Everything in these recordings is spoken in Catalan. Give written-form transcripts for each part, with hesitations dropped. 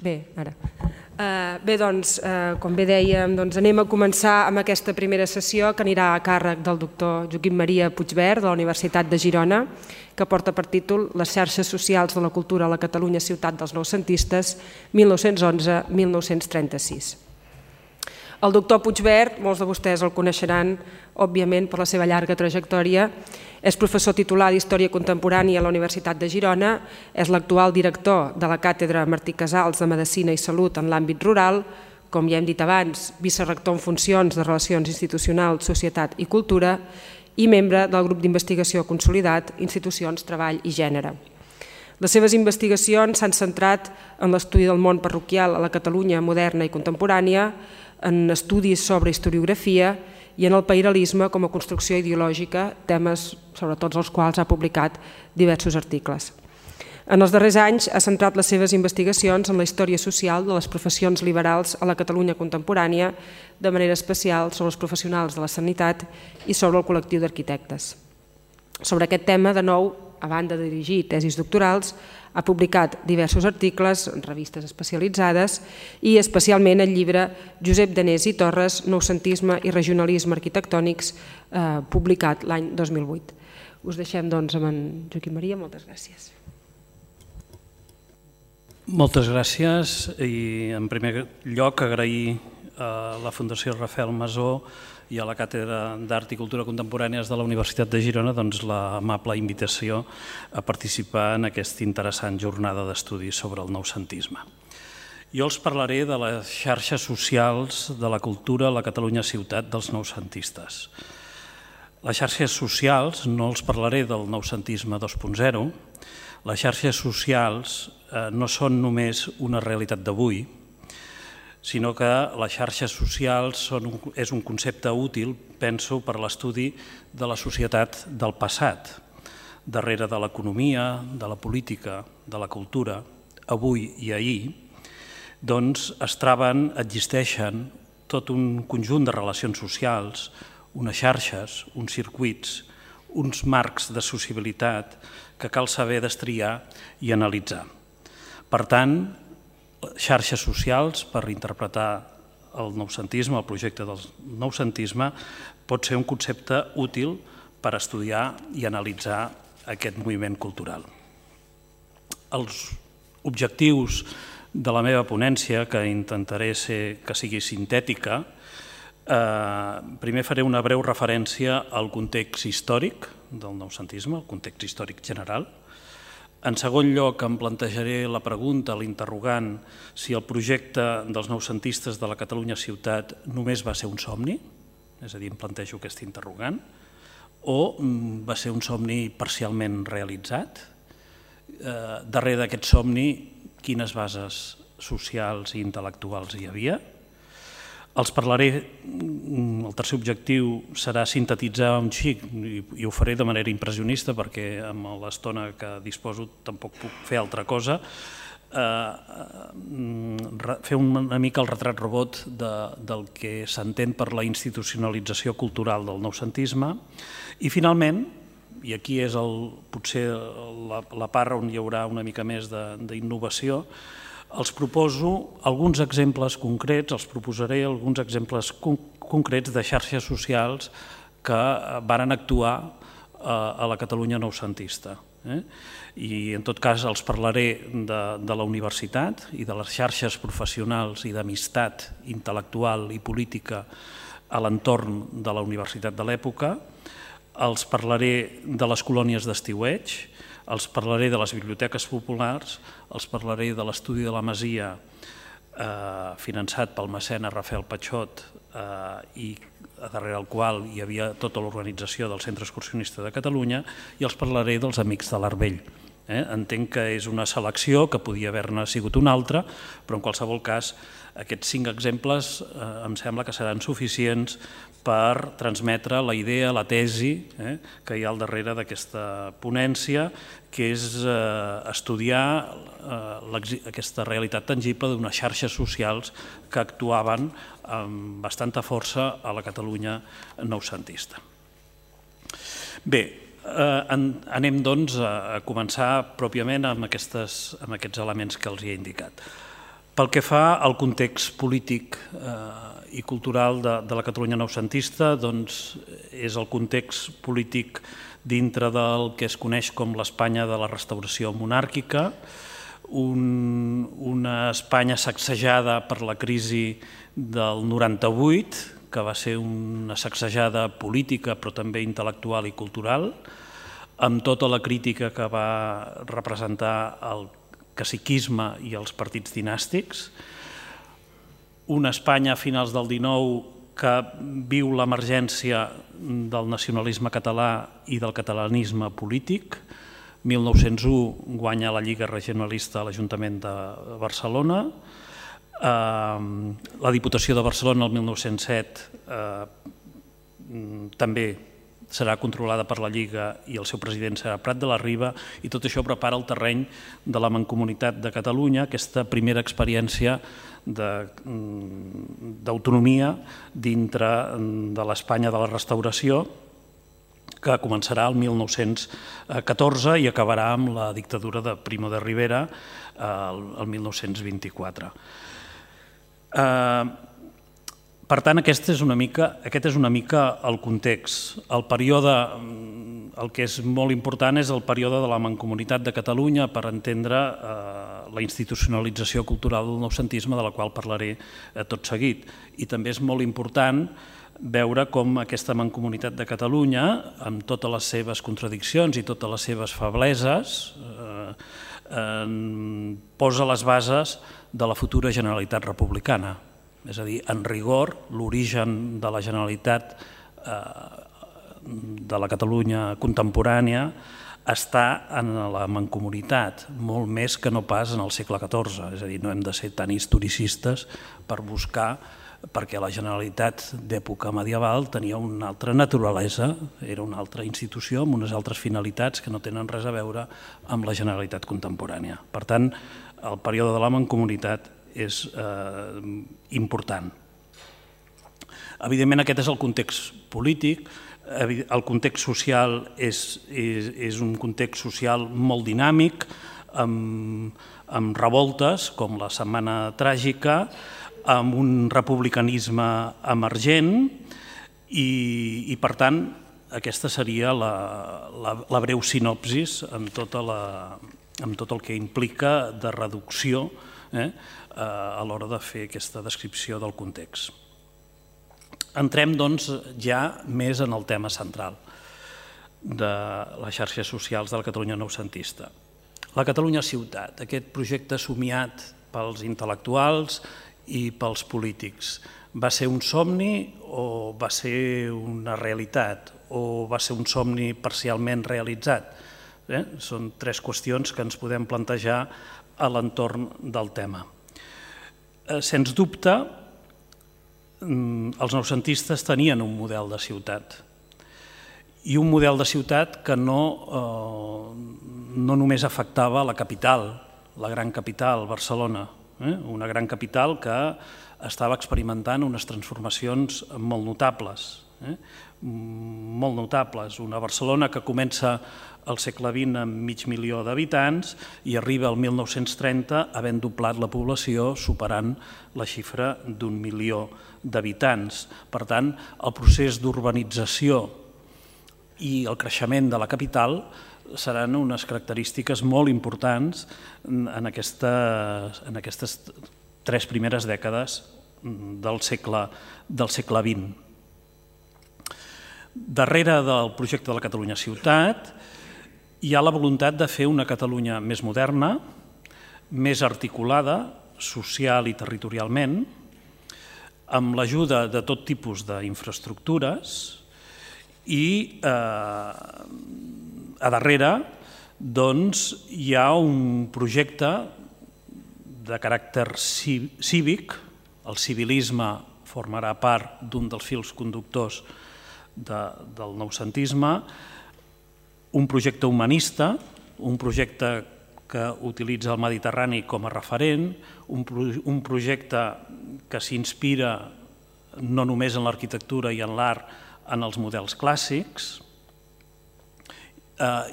Bé, ara. Bé, doncs, com bé dèiem, anem a començar amb aquesta primera sessió que anirà a càrrec del doctor Joaquim Maria Puigvert de la Universitat de Girona, que porta per títol Les xarxes socials de la cultura a la Catalunya ciutat dels noucentistes 1911-1936. El doctor Puigvert, molts de vostès el coneixeran, òbviament, per la seva llarga trajectòria. És professor titular d'Història Contemporània a la Universitat de Girona, és l'actual director de la Càtedra Martí Casals de Medicina i Salut en l'àmbit rural, com ja hem dit abans, vicerector en funcions de Relacions Institucionals, Societat i Cultura i membre del grup d'investigació consolidat Institucions, Treball i Gènere. Les seves investigacions s'han centrat en l'estudi del món parroquial a la Catalunya moderna i contemporània, en estudis sobre historiografia i en el pairalisme com a construcció ideològica, temes sobre tots els quals ha publicat diversos articles. En els darrers anys ha centrat les seves investigacions en la història social de les professions liberals a la Catalunya contemporània, de manera especial sobre els professionals de la sanitat i sobre el col·lectiu d'arquitectes. Sobre aquest tema, de nou, a banda de dirigir tesis doctorals, ha publicat diversos articles en revistes especialitzades i especialment el llibre Josep Danés i Torres, Noucentisme i regionalisme arquitectònics, publicat l'any 2008. Us deixem doncs amb en Joaquim Maria, moltes gràcies. Moltes gràcies i en primer lloc agrair a la Fundació Rafael Masó i a la Càtedra d'Art i Cultura Contemporànies de la Universitat de Girona l'amable invitació a participar en aquesta interessant jornada d'estudis sobre el noucentisme. Jo els parlaré de les xarxes socials de la cultura a la Catalunya ciutat dels noucentistes. Les xarxes socials, no els parlaré del noucentisme 2.0, les xarxes socials no són només una realitat d'avui, sinó que les xarxes socials és un concepte útil, penso, per a l'estudi de la societat del passat. Darrere de l'economia, de la política, de la cultura, avui i ahir, doncs existeixen tot un conjunt de relacions socials, unes xarxes, uns circuits, uns marcs de sociabilitat que cal saber destriar i analitzar. Per tant, xarxes socials, per interpretar el noucentisme, el projecte del noucentisme, pot ser un concepte útil per estudiar i analitzar aquest moviment cultural. Els objectius de la meva ponència, que intentaré que sigui sintètica, primer faré una breu referència al context històric del noucentisme, el context històric general. En segon lloc, em plantejaré la pregunta, l'interrogant, si el projecte dels noucentistes de la Catalunya ciutat només va ser un somni, és a dir, em plantejo aquest interrogant, o va ser un somni parcialment realitzat. Darrere d'aquest somni, quines bases socials i intel·lectuals hi havia? Els parlaré, el tercer objectiu serà sintetitzar un xic, i ho faré de manera impressionista perquè amb l'estona que disposo tampoc puc fer altra cosa, fer una mica el retrat robot del que s'entén per la institucionalització cultural del noucentisme i finalment, i aquí és potser la part on hi haurà una mica més d'innovació, els proposo alguns exemples concrets, els proposaré alguns exemples concrets de xarxes socials que varen actuar a la Catalunya noucentista. I en tot cas els parlaré de la universitat i de les xarxes professionals i d'amistat intel·lectual i política a l'entorn de la universitat de l'època, els parlaré de les colònies d'estiueig, els parlaré de les biblioteques populars, els parlaré de l'estudi de la Masia finançat pel mecenes Rafael Patxot i darrere el qual hi havia tota l'organització del Centre Excursionista de Catalunya i els parlaré dels Amics de l'Arvell. Entenc que és una selecció que podia haver-ne sigut una altra, però en qualsevol cas aquests 5 exemples em sembla que seran suficients per transmetre la idea, la tesi que hi ha al darrere d'aquesta ponència, que és estudiar aquesta realitat tangible d'unes xarxes socials que actuaven amb bastanta força a la Catalunya noucentista. Bé, anem doncs a començar pròpiament amb aquests elements que els he indicat. Pel que fa al context polític i cultural de la Catalunya noucentista, doncs és el context polític dintre del que es coneix com l'Espanya de la restauració monàrquica, una Espanya sacsejada per la crisi del 98, que va ser una sacsejada política però també intel·lectual i cultural, amb tota la crítica que va representar el caciquisme i els partits dinàstics, una Espanya a finals del 19 que viu l'emergència del nacionalisme català i del catalanisme polític. 1901 guanya la Lliga Regionalista a l'Ajuntament de Barcelona. La Diputació de Barcelona el 1907 també serà controlada per la Lliga i el seu president serà Prat de la Riba, i tot això prepara el terreny de la Mancomunitat de Catalunya, aquesta primera experiència d'autonomia dintre de l'Espanya de la restauració, que començarà el 1914 i acabarà amb la dictadura de Primo de Rivera el 1924. Per tant, aquest és una mica el context. El que és molt important és el període de la Mancomunitat de Catalunya per entendre la institucionalització cultural del noucentisme, de la qual parlaré tot seguit. I també és molt important veure com aquesta Mancomunitat de Catalunya, amb totes les seves contradiccions i totes les seves febleses, posa les bases de la futura Generalitat republicana. És a dir, en rigor, l'origen de la Generalitat de la Catalunya contemporània està en la Mancomunitat, molt més que no pas en el segle XIV. És a dir, no hem de ser tan historicistes per buscar, perquè la Generalitat d'època medieval tenia una altra naturalesa, era una altra institució amb unes altres finalitats que no tenen res a veure amb la Generalitat contemporània. Per tant, el període de la Mancomunitat és important. Evidentment, aquest és el context polític. El context social és un context social molt dinàmic, amb revoltes com la Setmana Tràgica, amb un republicanisme emergent i per tant, aquesta seria la breu sinopsis amb tot el que implica de reducció a l'hora de fer aquesta descripció del context. Entrem, doncs, ja més en el tema central de les xarxes socials de la Catalunya noucentista. La Catalunya ciutat, aquest projecte somiat pels intel·lectuals i pels polítics, va ser un somni o va ser una realitat o va ser un somni parcialment realitzat? Són tres qüestions que ens podem plantejar a l'entorn del tema. Sens dubte, els noucentistes tenien un model de ciutat i un model de ciutat que no només afectava la capital, la gran capital, Barcelona, una gran capital que estava experimentant unes transformacions molt notables, una Barcelona que comença al segle XX amb 500.000 d'habitants i arriba al 1930 havent doblat la població, superant la xifra d'1 milió d'habitants. Per tant, el procés d'urbanització i el creixement de la capital seran unes característiques molt importants en aquestes tres primeres dècades del segle XX. Darrere del projecte de la Catalunya ciutat hi ha la voluntat de fer una Catalunya més moderna, més articulada, social i territorialment, amb l'ajuda de tot tipus d'infraestructures i a darrere hi ha un projecte de caràcter cívic, el civilisme formarà part d'un dels fils conductors del noucentisme, un projecte humanista, un projecte que utilitza el Mediterrani com a referent, un projecte que s'inspira no només en l'arquitectura i en l'art, en els models clàssics,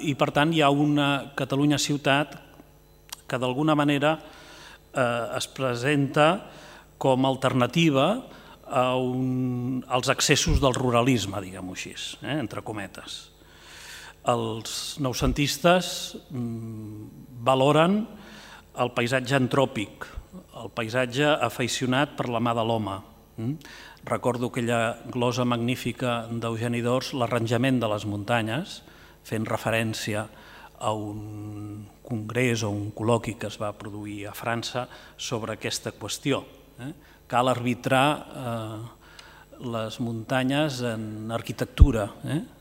i per tant hi ha una Catalunya ciutat que d'alguna manera es presenta com a alternativa als excessos del ruralisme, diguem-ho així, entre cometes. Els noucentistes valoren el paisatge antròpic, el paisatge afeicionat per la mà de l'home. Recordo aquella glosa magnífica d'Eugeni d'Ors, l'arranjament de les muntanyes, fent referència a un congrés o un col·loqui que es va produir a França sobre aquesta qüestió. Cal arbitrar les muntanyes en arquitectura,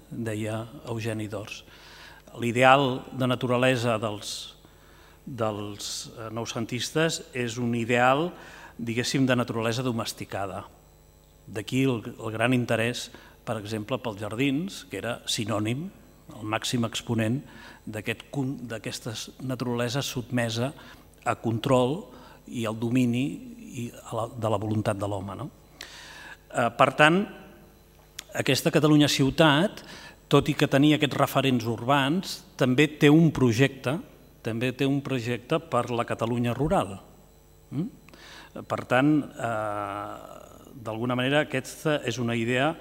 deia Eugeni d'Ors. L'ideal de naturalesa dels noucentistes és un ideal, diguéssim, de naturalesa domesticada. D'aquí el gran interès, per exemple, pels jardins, que era sinònim, el màxim exponent d'aquesta naturalesa sotmesa a control i al domini de la voluntat de l'home. Per tant, aquesta Catalunya ciutat, tot i que tenia aquests referents urbans, també té un projecte per la Catalunya rural. Per tant, d'alguna manera, aquesta és una idea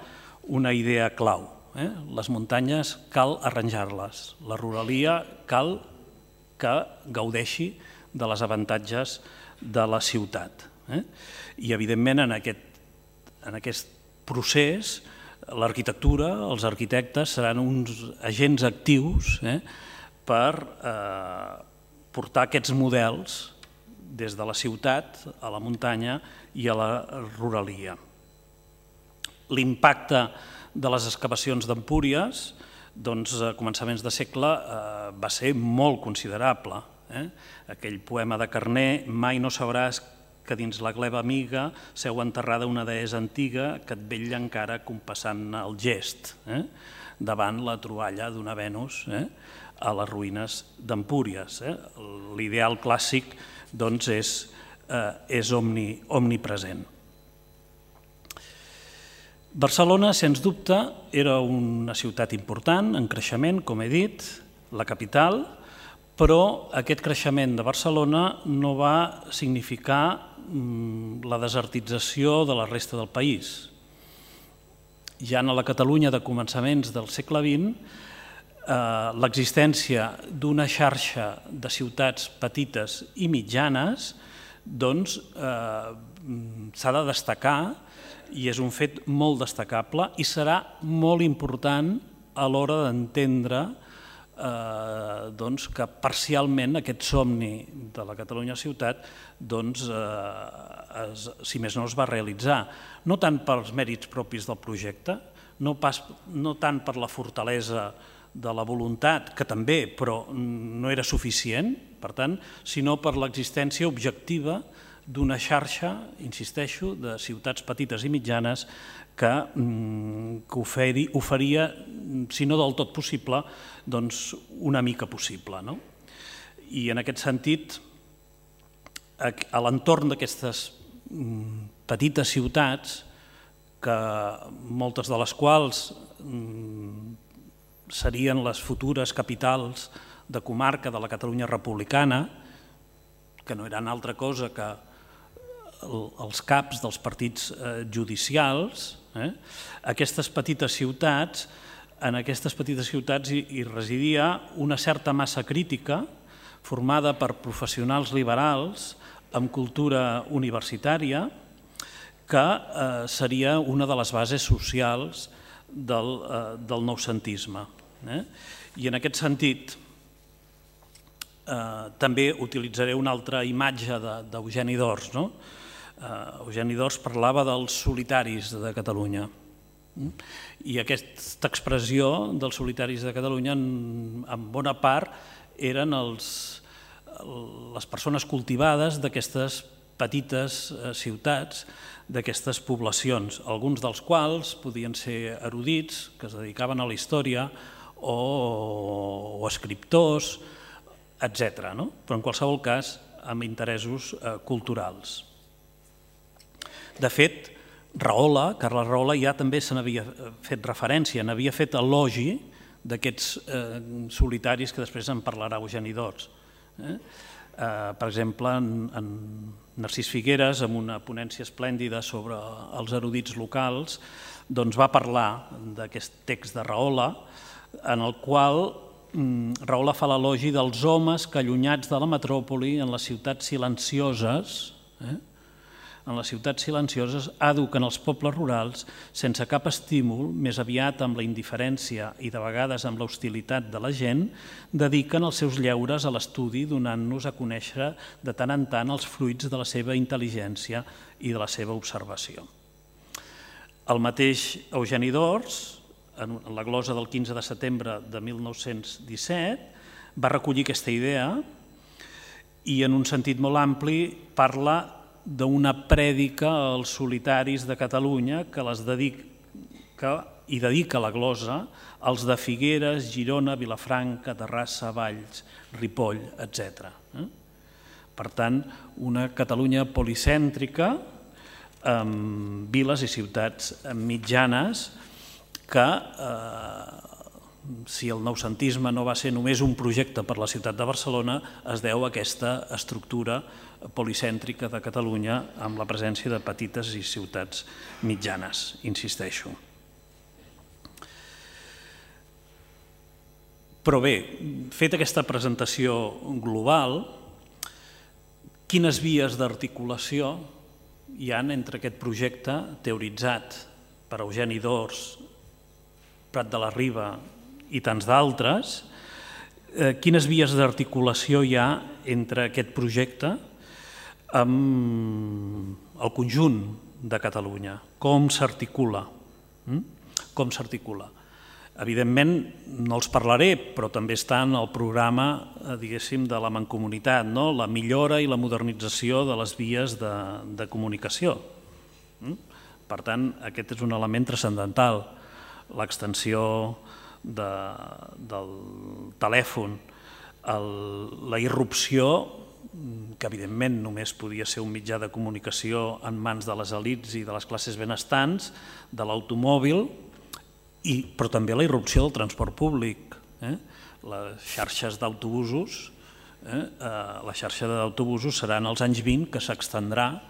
clau. Les muntanyes cal arranjar-les, la ruralia cal que gaudeixi de les avantatges de la ciutat. I, evidentment, en aquest procés, l'arquitectura, els arquitectes seran uns agents actius per portar aquests models des de la ciutat a la muntanya i a la ruralia. L'impacte de les excavacions d'Empúries, a començaments de segle, va ser molt considerable. Aquell poema de Carner, mai no sabràs que dins la gleba amiga seu enterrada una deessa antiga que et vetlla encara compassant el gest davant la troballa d'una Venus a les ruïnes d'Empúries. L'ideal clàssic és omnipresent. Barcelona, sens dubte, era una ciutat important, en creixement, com he dit, la capital, però aquest creixement de Barcelona no va significar la desertització de la resta del país. Ja en la Catalunya de començaments del segle XX, l'existència d'una xarxa de ciutats petites i mitjanes s'ha de destacar i és un fet molt destacable i serà molt important a l'hora d'entendre que parcialment aquest somni de la Catalunya ciutat, si més no, es va realitzar. No tant pels mèrits propis del projecte, no tant per la fortalesa de la voluntat, que també, però no era suficient, per tant, sinó per l'existència objectiva d'una xarxa, insisteixo, de ciutats petites i mitjanes que oferia, si no del tot possible, doncs una mica possible. I en aquest sentit, a l'entorn d'aquestes petites ciutats, que moltes de les quals serien les futures capitals de comarca de la Catalunya republicana, que no eren altra cosa que els caps dels partits judicials, aquestes petites ciutats, en aquestes petites ciutats hi residia una certa massa crítica formada per professionals liberals amb cultura universitària que seria una de les bases socials del noucentisme. I en aquest sentit també utilitzaré una altra imatge d'Eugeni d'Ors. Eugeni d'Ors parlava dels solitaris de Catalunya i aquesta expressió dels solitaris de Catalunya en bona part eren les persones cultivades d'aquestes petites ciutats, d'aquestes poblacions, alguns dels quals podien ser erudits que es dedicaven a la història o escriptors, etc. Però en qualsevol cas amb interessos culturals. De fet, Carles Rahola ja també se n'havia fet referència, n'havia fet elogi d'aquests solitaris que després en parlarà Eugeni d'Ors. Per exemple, en Narcís Figueres, amb una ponència esplèndida sobre els erudits locals, doncs va parlar d'aquest text de Rahola, en el qual Rahola fa l'elogi dels homes que, allunyats de la metròpoli, en les ciutats silencioses, eduquen els pobles rurals sense cap estímul, més aviat amb la indiferència i de vegades amb l'hostilitat de la gent, dediquen els seus lleures a l'estudi, donant-nos a conèixer de tant en tant els fruits de la seva intel·ligència i de la seva observació. El mateix Eugeni d'Ors, en la glosa del 15 de setembre de 1917, va recollir aquesta idea i en un sentit molt ampli parla d'una prèdica als solitaris de Catalunya que dedica la glosa als de Figueres, Girona, Vilafranca, Terrassa, Valls, Ripoll, etc. Per tant, una Catalunya policèntrica amb viles i ciutats mitjanes que, si el noucentisme no va ser només un projecte per la ciutat de Barcelona, es deu a aquesta estructura policèntrica de Catalunya amb la presència de petites i ciutats mitjanes, insisteixo. Però bé, feta aquesta presentació global, quines vies d'articulació hi ha entre aquest projecte teoritzat per Eugeni d'Ors, Prat de la Riba i tants d'altres, quines vies d'articulació hi ha entre aquest projecte amb el conjunt de Catalunya? Com s'articula? Evidentment, no els parlaré, però també està en el programa, diguéssim, de la Mancomunitat, la millora i la modernització de les vies de comunicació. Per tant, aquest és un element transcendental. L'extensió del telèfon, la irrupció, que evidentment només podia ser un mitjà de comunicació en mans de les elits i de les classes benestants, de l'automòbil, però també la irrupció del transport públic. Les xarxes d'autobusos, la xarxa d'autobusos serà en els anys 20 que s'extendrà.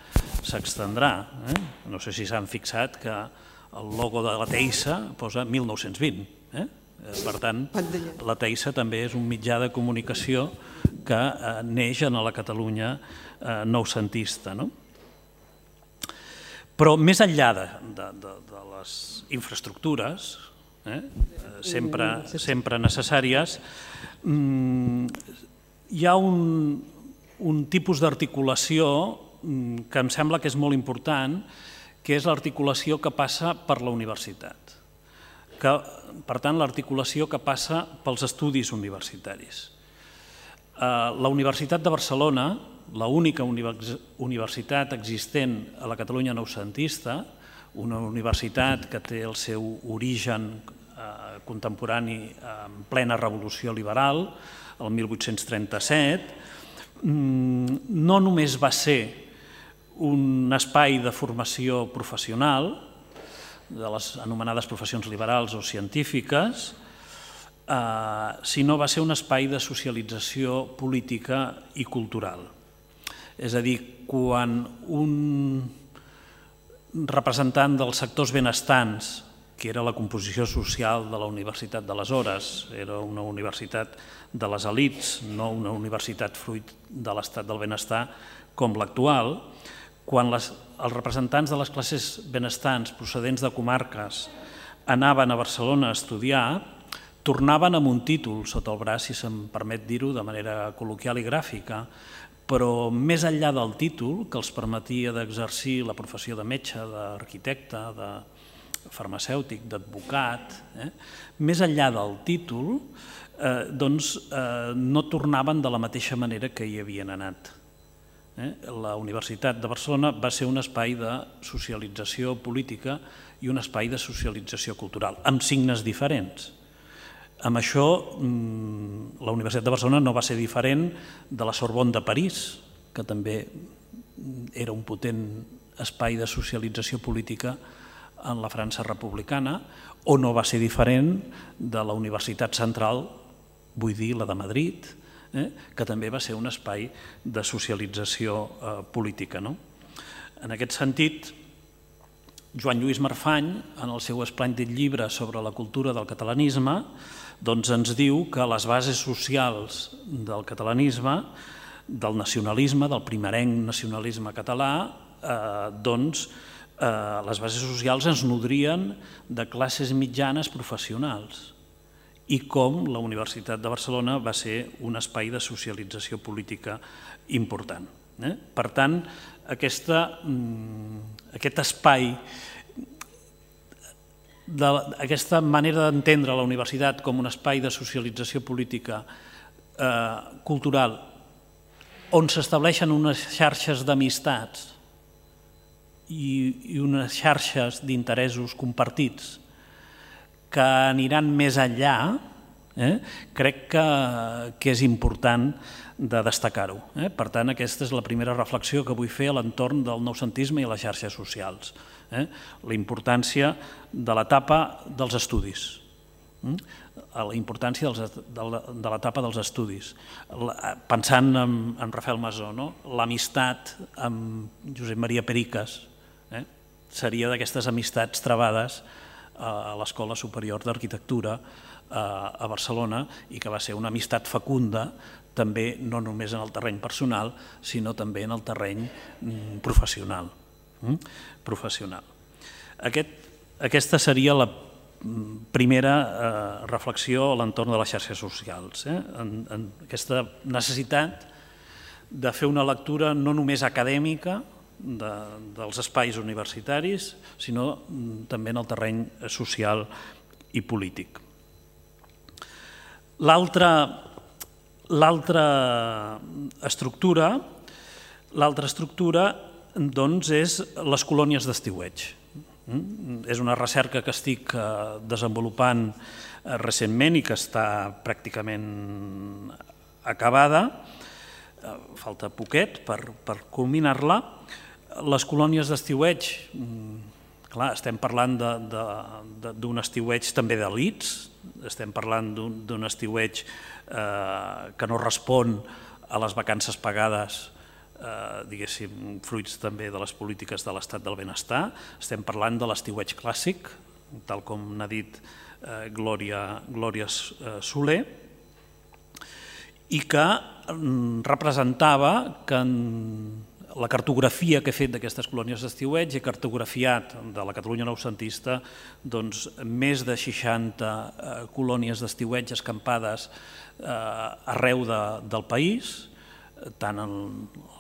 No sé si s'han fixat que el logo de la Teissa posa 1920. Per tant, la Teissa també és un mitjà de comunicació que neix en la Catalunya noucentista. Però més enllà de les infraestructures, sempre necessàries, hi ha un tipus d'articulació que em sembla que és molt important, que és l'articulació que passa per la universitat. Per tant, l'articulació que passa pels estudis universitaris. La Universitat de Barcelona, l'única universitat existent a la Catalunya noucentista, una universitat que té el seu origen contemporani en plena revolució liberal, el 1837, no només va ser un espai de formació professional, de les anomenades professions liberals o científiques, sinó va ser un espai de socialització política i cultural. És a dir, quan un representant dels sectors benestants, que era la composició social de la universitat d'aleshores, era una universitat de les elits, no una universitat fruit de l'estat del benestar com l'actual, quan els representants de les classes benestants procedents de comarques anaven a Barcelona a estudiar, tornaven amb un títol sota el braç, si se'm permet dir-ho de manera col·loquial i gràfica, però més enllà del títol, que els permetia d'exercir la professió de metge, d'arquitecte, de farmacèutic, d'advocat, més enllà del títol, no tornaven de la mateixa manera que hi havien anat. La Universitat de Barcelona va ser un espai de socialització política i un espai de socialització cultural, amb signes diferents. Amb això, la Universitat de Barcelona no va ser diferent de la Sorbonne de París, que també era un potent espai de socialització política en la França republicana, o no va ser diferent de la Universitat Central, vull dir la de Madrid, que també va ser un espai de socialització política. En aquest sentit, Joan Lluís Marfany, en el seu esplèndid llibre sobre la cultura del catalanisme, ens diu que les bases socials del catalanisme, del nacionalisme, del primerenc nacionalisme català, les bases socials ens nodrien de classes mitjanes professionals i com la Universitat de Barcelona va ser un espai de socialització política important. Per tant, aquest espai, aquesta manera d'entendre la universitat com un espai de socialització política cultural on s'estableixen unes xarxes d'amistats i unes xarxes d'interessos compartits que aniran més enllà, crec que és important de destacar-ho. Per tant, aquesta és la primera reflexió que vull fer a l'entorn del noucentisme i les xarxes socials. La importància de l'etapa dels estudis. La importància de l'etapa dels estudis. Pensant en Rafael Masó, l'amistat amb Josep Maria Pericas seria d'aquestes amistats travades a l'Escola Superior d'Arquitectura a Barcelona i que va ser una amistat fecunda també no només en el terreny personal sinó també en el terreny professional. Aquesta seria la primera reflexió a l'entorn de les xarxes socials. Aquesta necessitat de fer una lectura no només acadèmica dels espais universitaris, sinó també en el terreny social i polític. L'altra estructura és les colònies d'estiueig. És una recerca que estic desenvolupant recentment i que està pràcticament acabada, falta poquet per culminar-la. Les colònies d'estiueig, clar, estem parlant d'un estiueig també d'elits, estem parlant d'un estiueig que no respon a les vacances pagades, diguéssim, fruits també de les polítiques de l'estat del benestar. Estem parlant de l'estiueig clàssic, tal com n'ha dit Glòria Soler, i que representava que la cartografia que he fet d'aquestes colònies d'estiueig he cartografiat de la Catalunya noucentista més de 60 colònies d'estiueig escampades arreu del país, tant en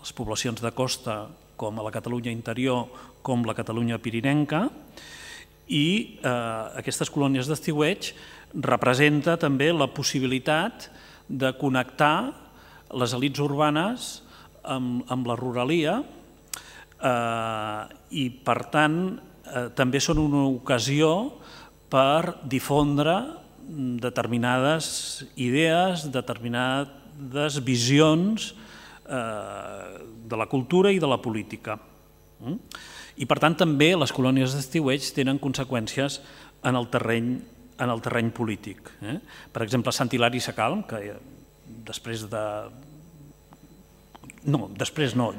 les poblacions de costa com a la Catalunya interior com la Catalunya pirinenca, i aquestes colònies d'estiueig representa també la possibilitat de connectar les elits urbanes amb la ruralia i, per tant, també són una ocasió per difondre determinades idees, determinades visions de la cultura i de la política. I, per tant, també les colònies d'estiueig tenen conseqüències en el terreny polític. Per exemple, Sant Hilari Sacalm, que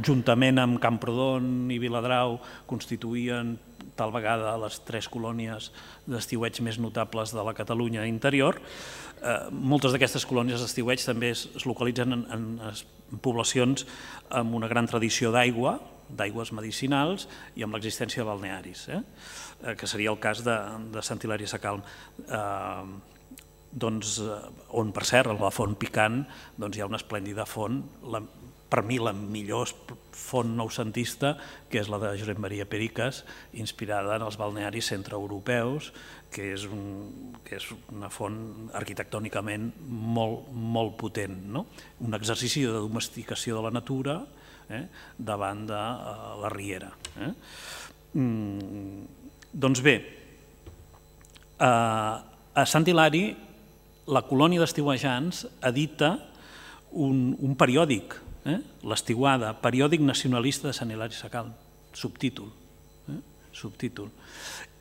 juntament amb Camprodon i Viladrau constituïen tal vegada les 3 colònies d'estiueig més notables de la Catalunya interior. Moltes d'aquestes colònies d'estiueig també es localitzen en poblacions amb una gran tradició d'aigües medicinals i amb l'existència de balnearis, que seria el cas de Sant Hilari Sacalm, on, per cert, a la Font Picant hi ha una esplèndida font, per mi la millor font noucentista, que és la de Josep Maria Pericas, inspirada en els balnearis centreeuropeus, que és una font arquitectònicament molt potent, un exercici de domesticació de la natura davant de la riera. Doncs bé, a Sant Hilari la colònia d'estiuejants edita un periòdic, l'Estiuada, periòdic nacionalista de Sant Hilari Sacalm, subtítol.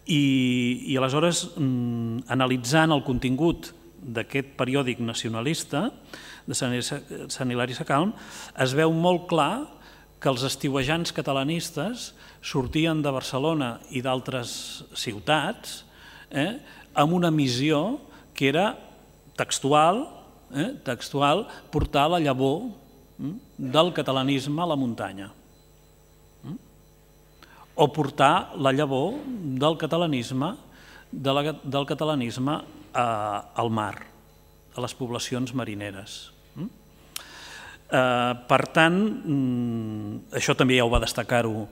I aleshores, analitzant el contingut d'aquest periòdic nacionalista, de Sant Hilari Sacalm, es veu molt clar que els estiuejants catalanistes sortien de Barcelona i d'altres ciutats amb una missió que era textual, portar la llavor del catalanisme a la muntanya, o portar la llavor del catalanisme al mar, a les poblacions marineres. Per tant, això també ja ho va destacar-ho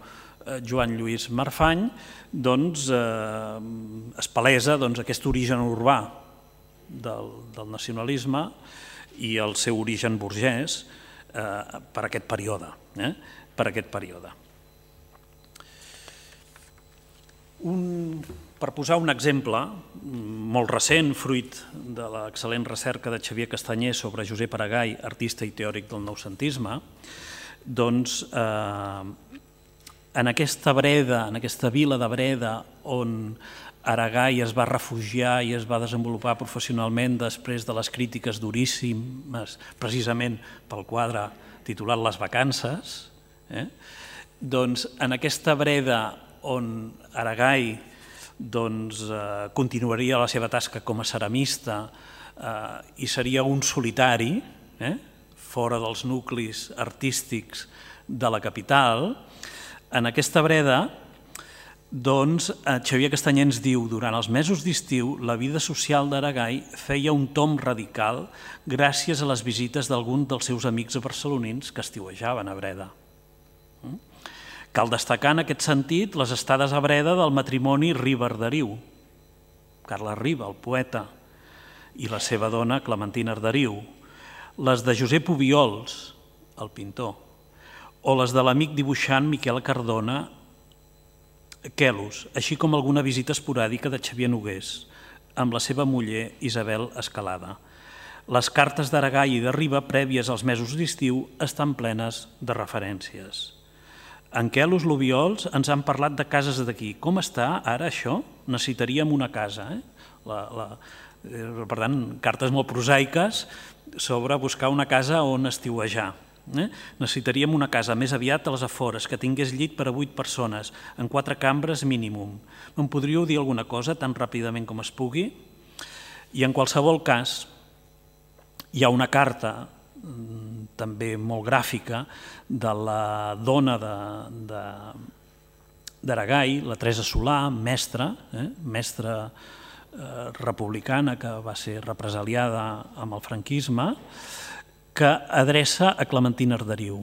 Joan Lluís Marfany, doncs es palesa aquest origen urbà del nacionalisme i el seu origen burgès per aquest període. Per posar un exemple molt recent, fruit de l'excel·lent recerca de Xavier Castanyer sobre Josep Aragai, artista i teòric del noucentisme, doncs en aquesta Breda, en aquesta vila de Breda, on Aragai es va refugiar i es va desenvolupar professionalment després de les crítiques duríssimes, precisament pel quadre titulat Les vacances, doncs en aquesta Breda on Aragai continuaria la seva tasca com a ceramista i seria un solitari, fora dels nuclis artístics de la capital, en aquesta Breda, doncs, Xavier Castanyer ens diu: durant els mesos d'estiu, la vida social d'Aragai feia un tomb radical gràcies a les visites d'alguns dels seus amics barcelonins que estiuejaven a Breda. Cal destacar en aquest sentit les estades a Breda del matrimoni Riba-Arderiu, Carles Riba, el poeta, i la seva dona Clementina Arderiu, les de Josep Obiols, el pintor, o les de l'amic dibuixant Miquel Cardona, Quelus, així com alguna visita esporàdica de Xavier Nogués, amb la seva muller Isabel Escalada. Les cartes d'Aragai i de Riba, prèvies als mesos d'estiu, estan plenes de referències. En Quelus, l'Obiols, ens han parlat de cases d'aquí. Com està ara això? Necessitaríem una casa. Per tant, cartes molt prosaiques sobre buscar una casa on estiuejar. Necessitaríem una casa més aviat a les afores, que tingués llit per a 8 persones, en 4 cambres mínim. Em podríeu dir alguna cosa tan ràpidament com es pugui? I en qualsevol cas, hi ha una carta també molt gràfica de la dona d'Aragai, la Teresa Solà, mestra republicana que va ser represaliada amb el franquisme, que adreça a Clementina Arderiu.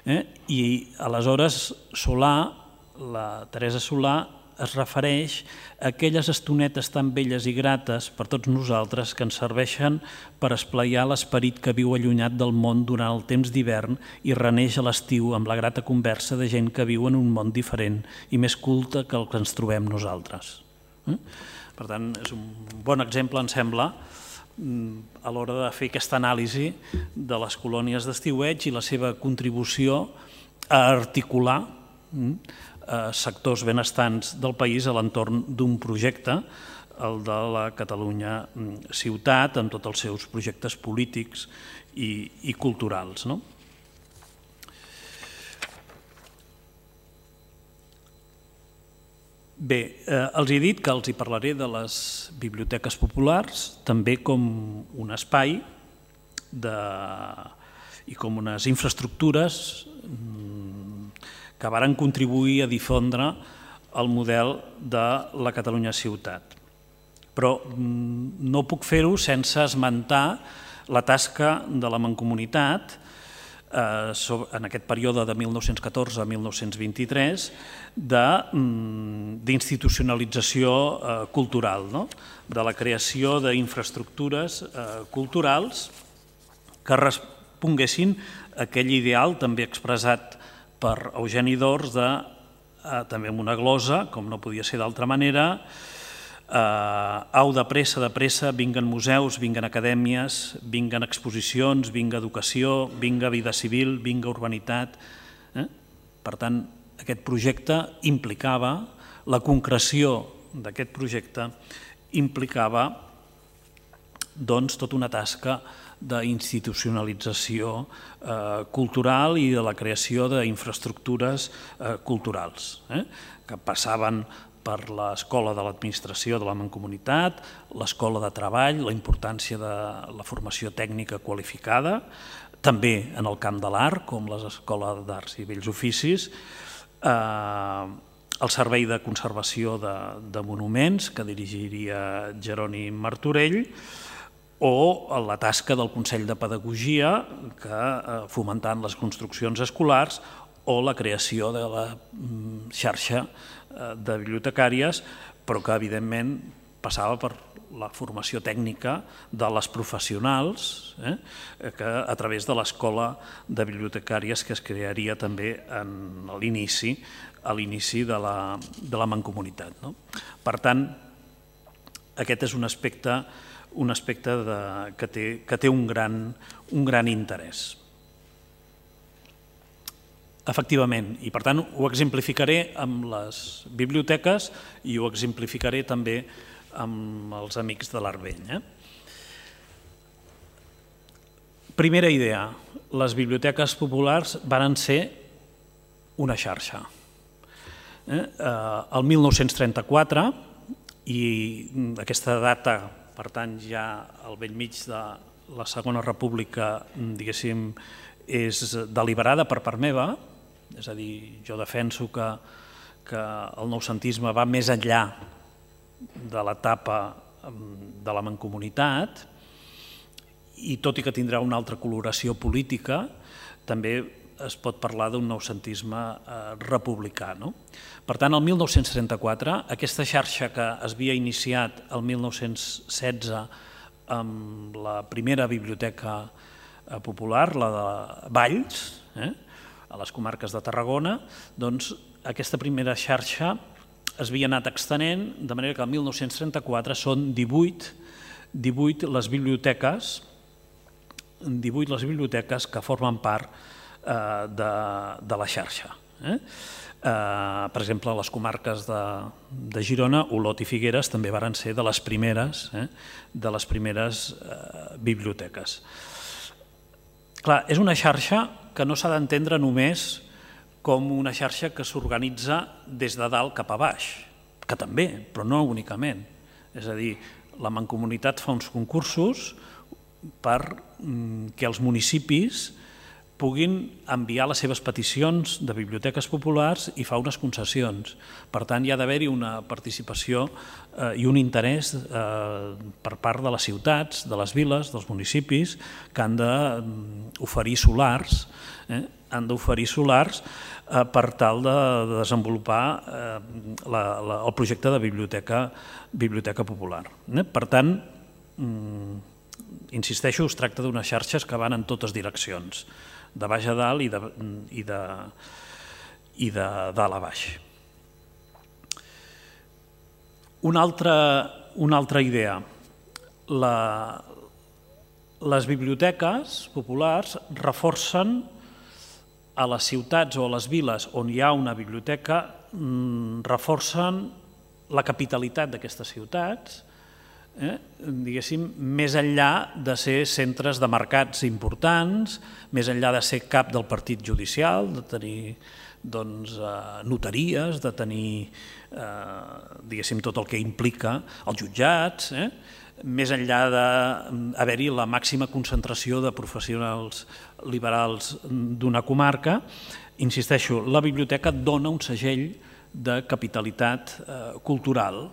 I aleshores Solà, la Teresa Solà, es refereix a aquelles estonetes tan belles i grates per tots nosaltres que ens serveixen per esplaiar l'esperit que viu allunyat del món durant el temps d'hivern i reneix a l'estiu amb la grata conversa de gent que viu en un món diferent i més culte que el que ens trobem nosaltres. Per tant, és un bon exemple, em sembla, a l'hora de fer aquesta anàlisi de les colònies d'estiueig i la seva contribució a articular sectors benestants del país a l'entorn d'un projecte, el de la Catalunya ciutat, amb tots els seus projectes polítics i culturals. Bé, els he dit que els hi parlaré de les biblioteques populars, també com un espai i com unes infraestructures que varen contribuir a difondre el model de la Catalunya ciutat. Però no puc fer-ho sense esmentar la tasca de la Mancomunitat en aquest període de 1914 a 1923 d'institucionalització cultural, de la creació d'infraestructures culturals que responguessin a aquell ideal també expressat per Eugeni d'Ors, també amb una glosa, com no podia ser d'altra manera: au, de pressa, vinguen museus, vinguen acadèmies, vinguen exposicions, vinga educació, vinga vida civil, vinga urbanitat. Per tant, aquest projecte implicava, la concreció d'aquest projecte implicava tota una tasca d'institucionalització cultural i de la creació d'infraestructures culturals, que passaven per l'Escola de l'Administració de la Mancomunitat, l'Escola de Treball, la importància de la formació tècnica qualificada, també en el camp de l'art, com l'Escola d'Arts i Bells Oficis, el Servei de Conservació de Monuments, que dirigiria Jeroni Martorell, o la tasca del Consell de Pedagogia, que fomentant les construccions escolars, o la creació de la xarxa de bibliotecàries, però que evidentment passava per la formació tècnica de les professionals, que a través de l'Escola de Bibliotecàries que es crearia també a l'inici de la Mancomunitat. Per tant, aquest és un aspecte que té un gran interès. Efectivament, i per tant ho exemplificaré amb les biblioteques i ho exemplificaré també amb els amics de l'Art Vell. Primera idea, les biblioteques populars varen ser una xarxa. El 1934, i aquesta data pertany ja al bell mig de la Segona República, diguéssim, és deliberada per part meva, és a dir, jo defenso que el noucentisme va més enllà de l'etapa de la Mancomunitat i tot i que tindrà una altra coloració política, també es pot parlar d'un noucentisme republicà. Per tant, el 1934, aquesta xarxa que es havia iniciat el 1916 amb la primera biblioteca popular, la de Valls, a les comarques de Tarragona, doncs aquesta primera xarxa es havia anat extenent, de manera que el 1934 són 18 les biblioteques que formen part de la xarxa. Per exemple, les comarques de Girona, Olot i Figueres també varen ser de les primeres biblioteques. Clar, és una xarxa que no s'ha d'entendre només com una xarxa que s'organitza des de dalt cap a baix, que també, però no únicament. És a dir, la Mancomunitat fa uns concursos perquè els municipis puguin enviar les seves peticions de biblioteques populars i fa unes concessions. Per tant, hi ha d'haver-hi una participació i un interès per part de les ciutats, de les viles, dels municipis, que han d'oferir solars, per tal de desenvolupar el projecte de biblioteca popular. Per tant, insisteixo, es tracta d'unes xarxes que van en totes direccions, de baix a dalt i de dalt a baix. Una altra idea. Les biblioteques populars reforcen a les ciutats o a les viles on hi ha una biblioteca, reforcen la capitalitat d'aquestes ciutats, diguéssim, més enllà de ser centres de mercats importants, més enllà de ser cap del partit judicial, de tenir notaries, de tenir, diguéssim, tot el que implica els jutjats, més enllà d'haver-hi la màxima concentració de professionals liberals d'una comarca. Insisteixo, la biblioteca dona un segell de capitalitat cultural,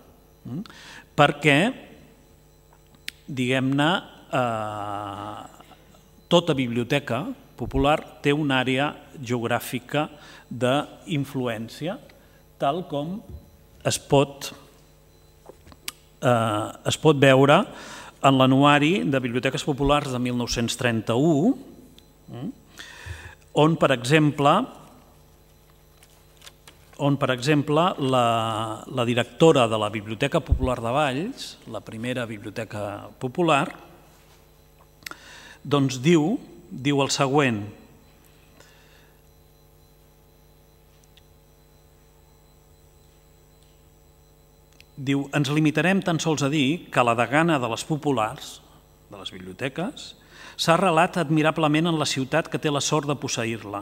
perquè diguem-ne, tota biblioteca popular té una àrea geogràfica d'influència, tal com es pot veure en l'anuari de Biblioteques Populars de 1931, on, per exemple, la directora de la Biblioteca Popular de Valls, la primera biblioteca popular, doncs diu el següent: ens limitarem tan sols a dir que la degana de les populars, de les biblioteques, s'ha arrelat admirablement en la ciutat que té la sort de posseir-la,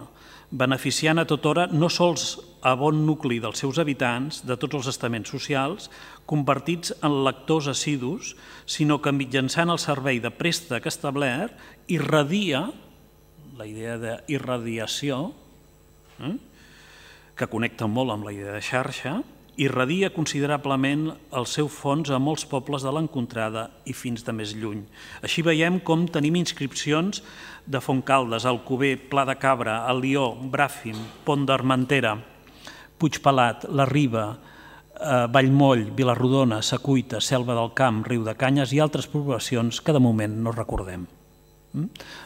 beneficiant a tota hora no sols a bon nucli dels seus habitants, de tots els estaments socials, convertits en lectors assidus, sinó que mitjançant el servei de préstec establert, irradia, la idea d'irradiació, que connecta molt amb la idea de xarxa, irradia considerablement el seu fons a molts pobles de l'encontrada i fins de més lluny. Així veiem com tenim inscripcions de Fontcaldes, Alcover, Pla de Cabra, Alió, Bràfim, Pont d'Armentera, Puigpelat, La Riba, Vallmoll, Vilarrodona, Secuita, Selva del Camp, Riu de Canyes i altres poblacions que de moment no recordem.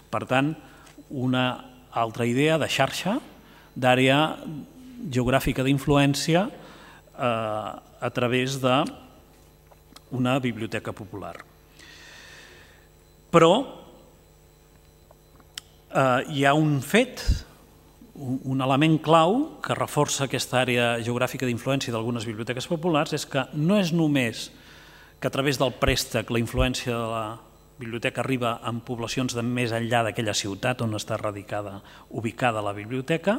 Per tant, una altra idea de xarxa, d'àrea geogràfica d'influència a través d'una biblioteca popular. Però hi ha un fet, un element clau que reforça aquesta àrea geogràfica d'influència d'algunes biblioteques populars, és que no és només que a través del préstec la influència de la biblioteca arriba en poblacions de més enllà d'aquella ciutat on està ubicada la biblioteca,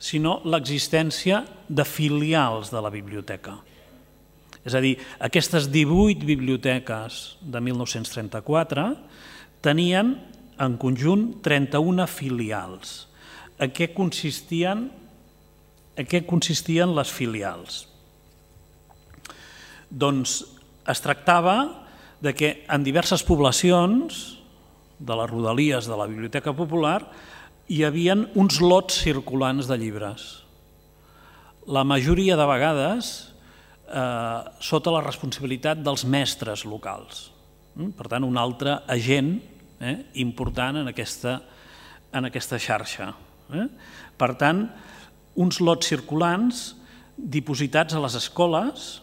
sinó l'existència de filials de la biblioteca. És a dir, aquestes 18 biblioteques de 1934 tenien en conjunt 31 filials. En què consistien les filials? Doncs es tractava de que en diverses poblacions de les rodalies de la Biblioteca Popular hi havia uns lots circulants de llibres. La majoria de vegades sota la responsabilitat dels mestres locals. Per tant, un altre agent important en aquesta xarxa. Per tant, uns lots circulants dipositats a les escoles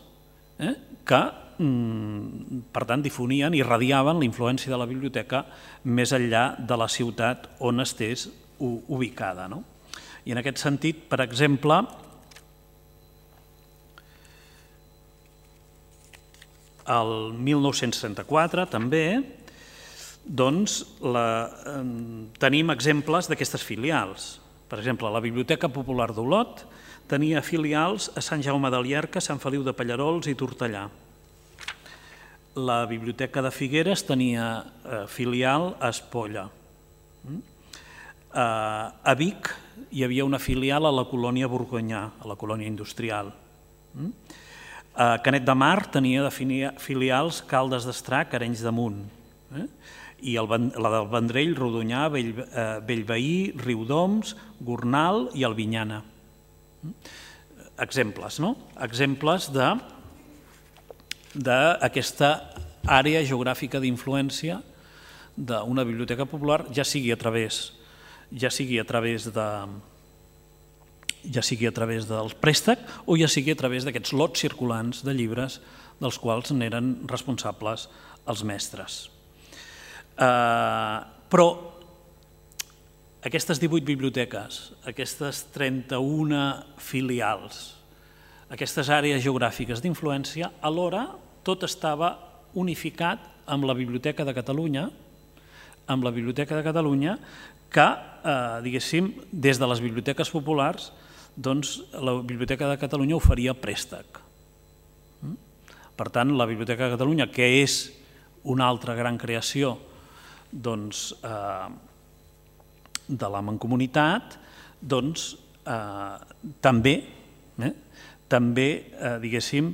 que, per tant, difonien i irradiaven la influència de la biblioteca més enllà de la ciutat on estés ubicada. I en aquest sentit, per exemple, el 1934 també tenim exemples d'aquestes filials. Per exemple, la Biblioteca Popular d'Olot tenia filials a Sant Jaume de Llierca, Sant Feliu de Pallerols i Tortellà. La Biblioteca de Figueres tenia filial a Espolla. A Vic hi havia una filial a la colònia Borgonyà, a la colònia industrial. A Canet de Mar tenia filials Caldes d'Estrac, Arenys de Munt. I la del Vendrell, Rodonyà, Bellveí, Riudoms, Gornal i Albinyana. Exemples, no? Exemples d'aquesta àrea geogràfica d'influència d'una biblioteca popular, ja sigui a través del préstec o ja sigui a través d'aquests lots circulants de llibres dels quals n'eren responsables els mestres. Però aquestes 18 biblioteques, aquestes 31 filials, aquestes àrees geogràfiques d'influència, alhora tot estava unificat amb la Biblioteca de Catalunya, que, diguéssim, des de les biblioteques populars, doncs la Biblioteca de Catalunya oferia préstec. Per tant, la Biblioteca de Catalunya, que és una altra gran creació de la Mancomunitat, doncs també, diguéssim,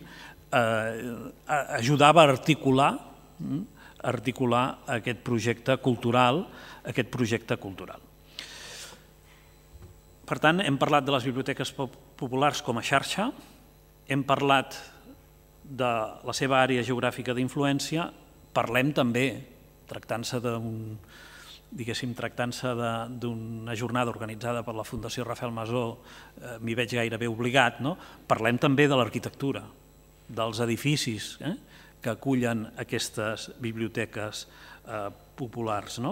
ajudava a articular aquest projecte cultural. Per tant, hem parlat de les biblioteques populars com a xarxa, hem parlat de la seva àrea geogràfica d'influència, parlem també, tractant-se d'una jornada organitzada per la Fundació Rafael Masó, m'hi veig gairebé obligat, parlem també de l'arquitectura, dels edificis que acullen aquestes biblioteques populars.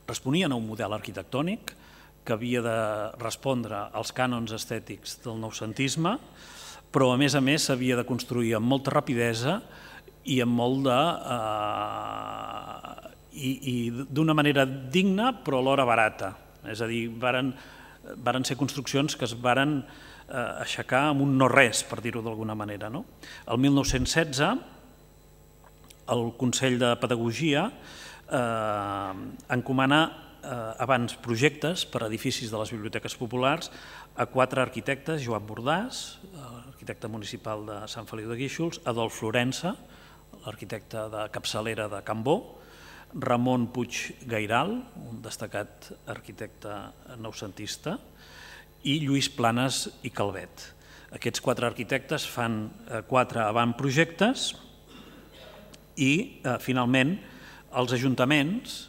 Responien a un model arquitectònic que havia de respondre als cànons estètics del noucentisme, però a més s'havia de construir amb molta rapidesa i amb i d'una manera digna però alhora barata. És a dir, varen ser construccions que es varen aixecar amb un no-res, per dir-ho d'alguna manera. El 1916, el Consell de Pedagogia encomana abans projectes per a edificis de les biblioteques populars a 4 arquitectes: Joan Bordàs, arquitecte municipal de Sant Feliu de Guíxols, Adolf Florença, l'arquitecte de capçalera de Can Bo, Ramon Puig Gairal, un destacat arquitecte noucentista, i Lluís Planes i Calvet. Aquests 4 arquitectes fan 4 avantprojectes i, finalment, els ajuntaments,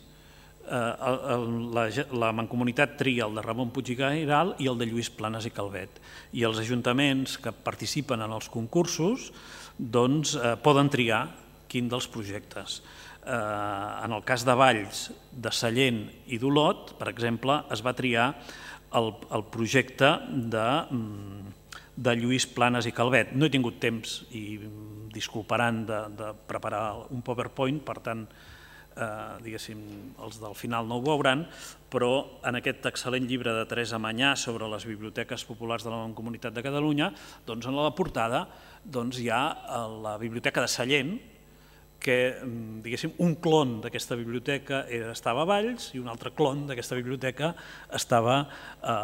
la mancomunitat tria el de Ramon Puig i Gairal i el de Lluís Planes i Calvet. I els ajuntaments que participen en els concursos poden triar quin dels projectes. En el cas de Valls, de Sallent i d'Olot, per exemple, es va triar el projecte de Lluís Planes i Calvet. No he tingut temps, i disculparan, de preparar un PowerPoint, per tant, diguéssim, els del final no ho veuran, però en aquest excel·lent llibre de Teresa Manyà sobre les biblioteques populars de la Mancomunitat de Catalunya, en la portada hi ha la Biblioteca de Sallent, que, diguéssim, un clon d'aquesta biblioteca estava a Valls i un altre clon d'aquesta biblioteca estava a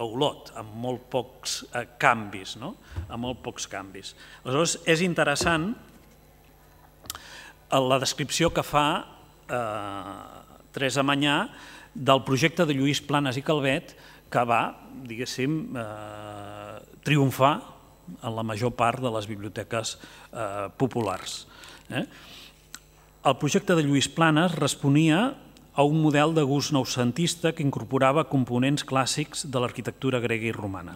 Olot, amb molt pocs canvis. Aleshores, és interessant la descripció que fa Teresa Manyà del projecte de Lluís Planes i Calvet, que va, diguéssim, triomfar en la major part de les biblioteques populars. El projecte de Lluís Planes responia a un model de gust noucentista que incorporava components clàssics de l'arquitectura grega i romana.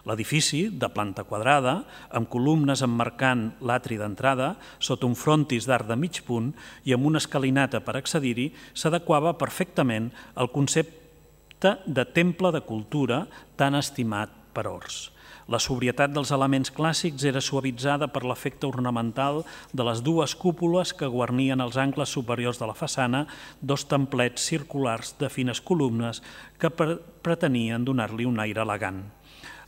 L'edifici, de planta quadrada, amb columnes emmarcant l'atri d'entrada, sota un frontis d'arc de mig punt i amb una escalinata per accedir-hi, s'adequava perfectament al concepte de temple de cultura tan estimat per Ors. La sobrietat dels elements clàssics era suavitzada per l'efecte ornamental de les 2 cúpules que guarnien els angles superiors de la façana, 2 templets circulars de fines columnes que pretenien donar-li un aire elegant.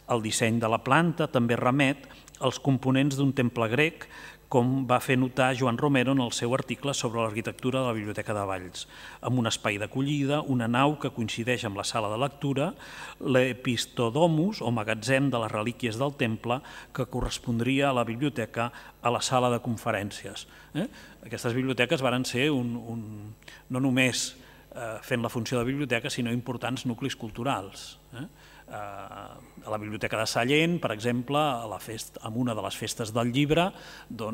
El disseny de la planta també remet als components d'un temple grec, com va fer notar Joan Romero en el seu article sobre l'arquitectura de la Biblioteca de Valls, amb un espai d'acollida, una nau que coincideix amb la sala de lectura, l'epistodomus, o magatzem de les relíquies del temple, que correspondria a la biblioteca a la sala de conferències. Aquestes biblioteques varen ser no només fent la funció de biblioteca, sinó importants nuclis culturals. A la Biblioteca de Sallent, per exemple, en una de les festes del llibre, a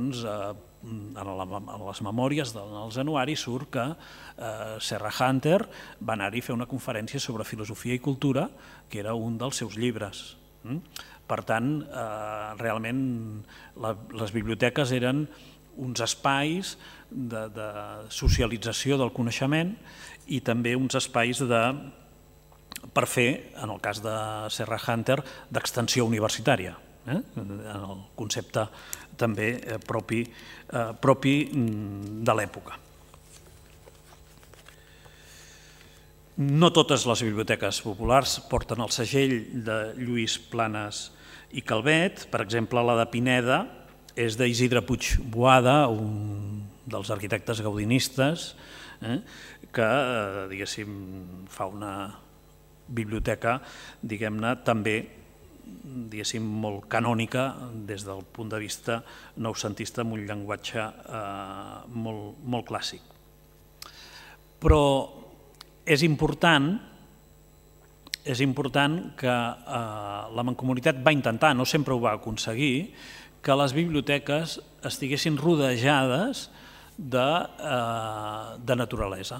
les memòries dels anuaris surt que Serra Hunter va anar-hi a fer una conferència sobre filosofia i cultura, que era un dels seus llibres. Per tant, realment les biblioteques eren uns espais de socialització del coneixement i també uns espais per fer, en el cas de Serra Hunter, d'extensió universitària, en el concepte també propi de l'època. No totes les biblioteques populars porten el segell de Lluís Planes i Calvet. Per exemple, la de Pineda és d'Isidre Puig Boada, un dels arquitectes gaudinistes, que, diguéssim, fa una biblioteca, diguem-ne, també, diguéssim, molt canònica des del punt de vista noucentista, amb un llenguatge molt clàssic. Però és important que la Mancomunitat va intentar, no sempre ho va aconseguir, que les biblioteques estiguessin rodejades de naturalesa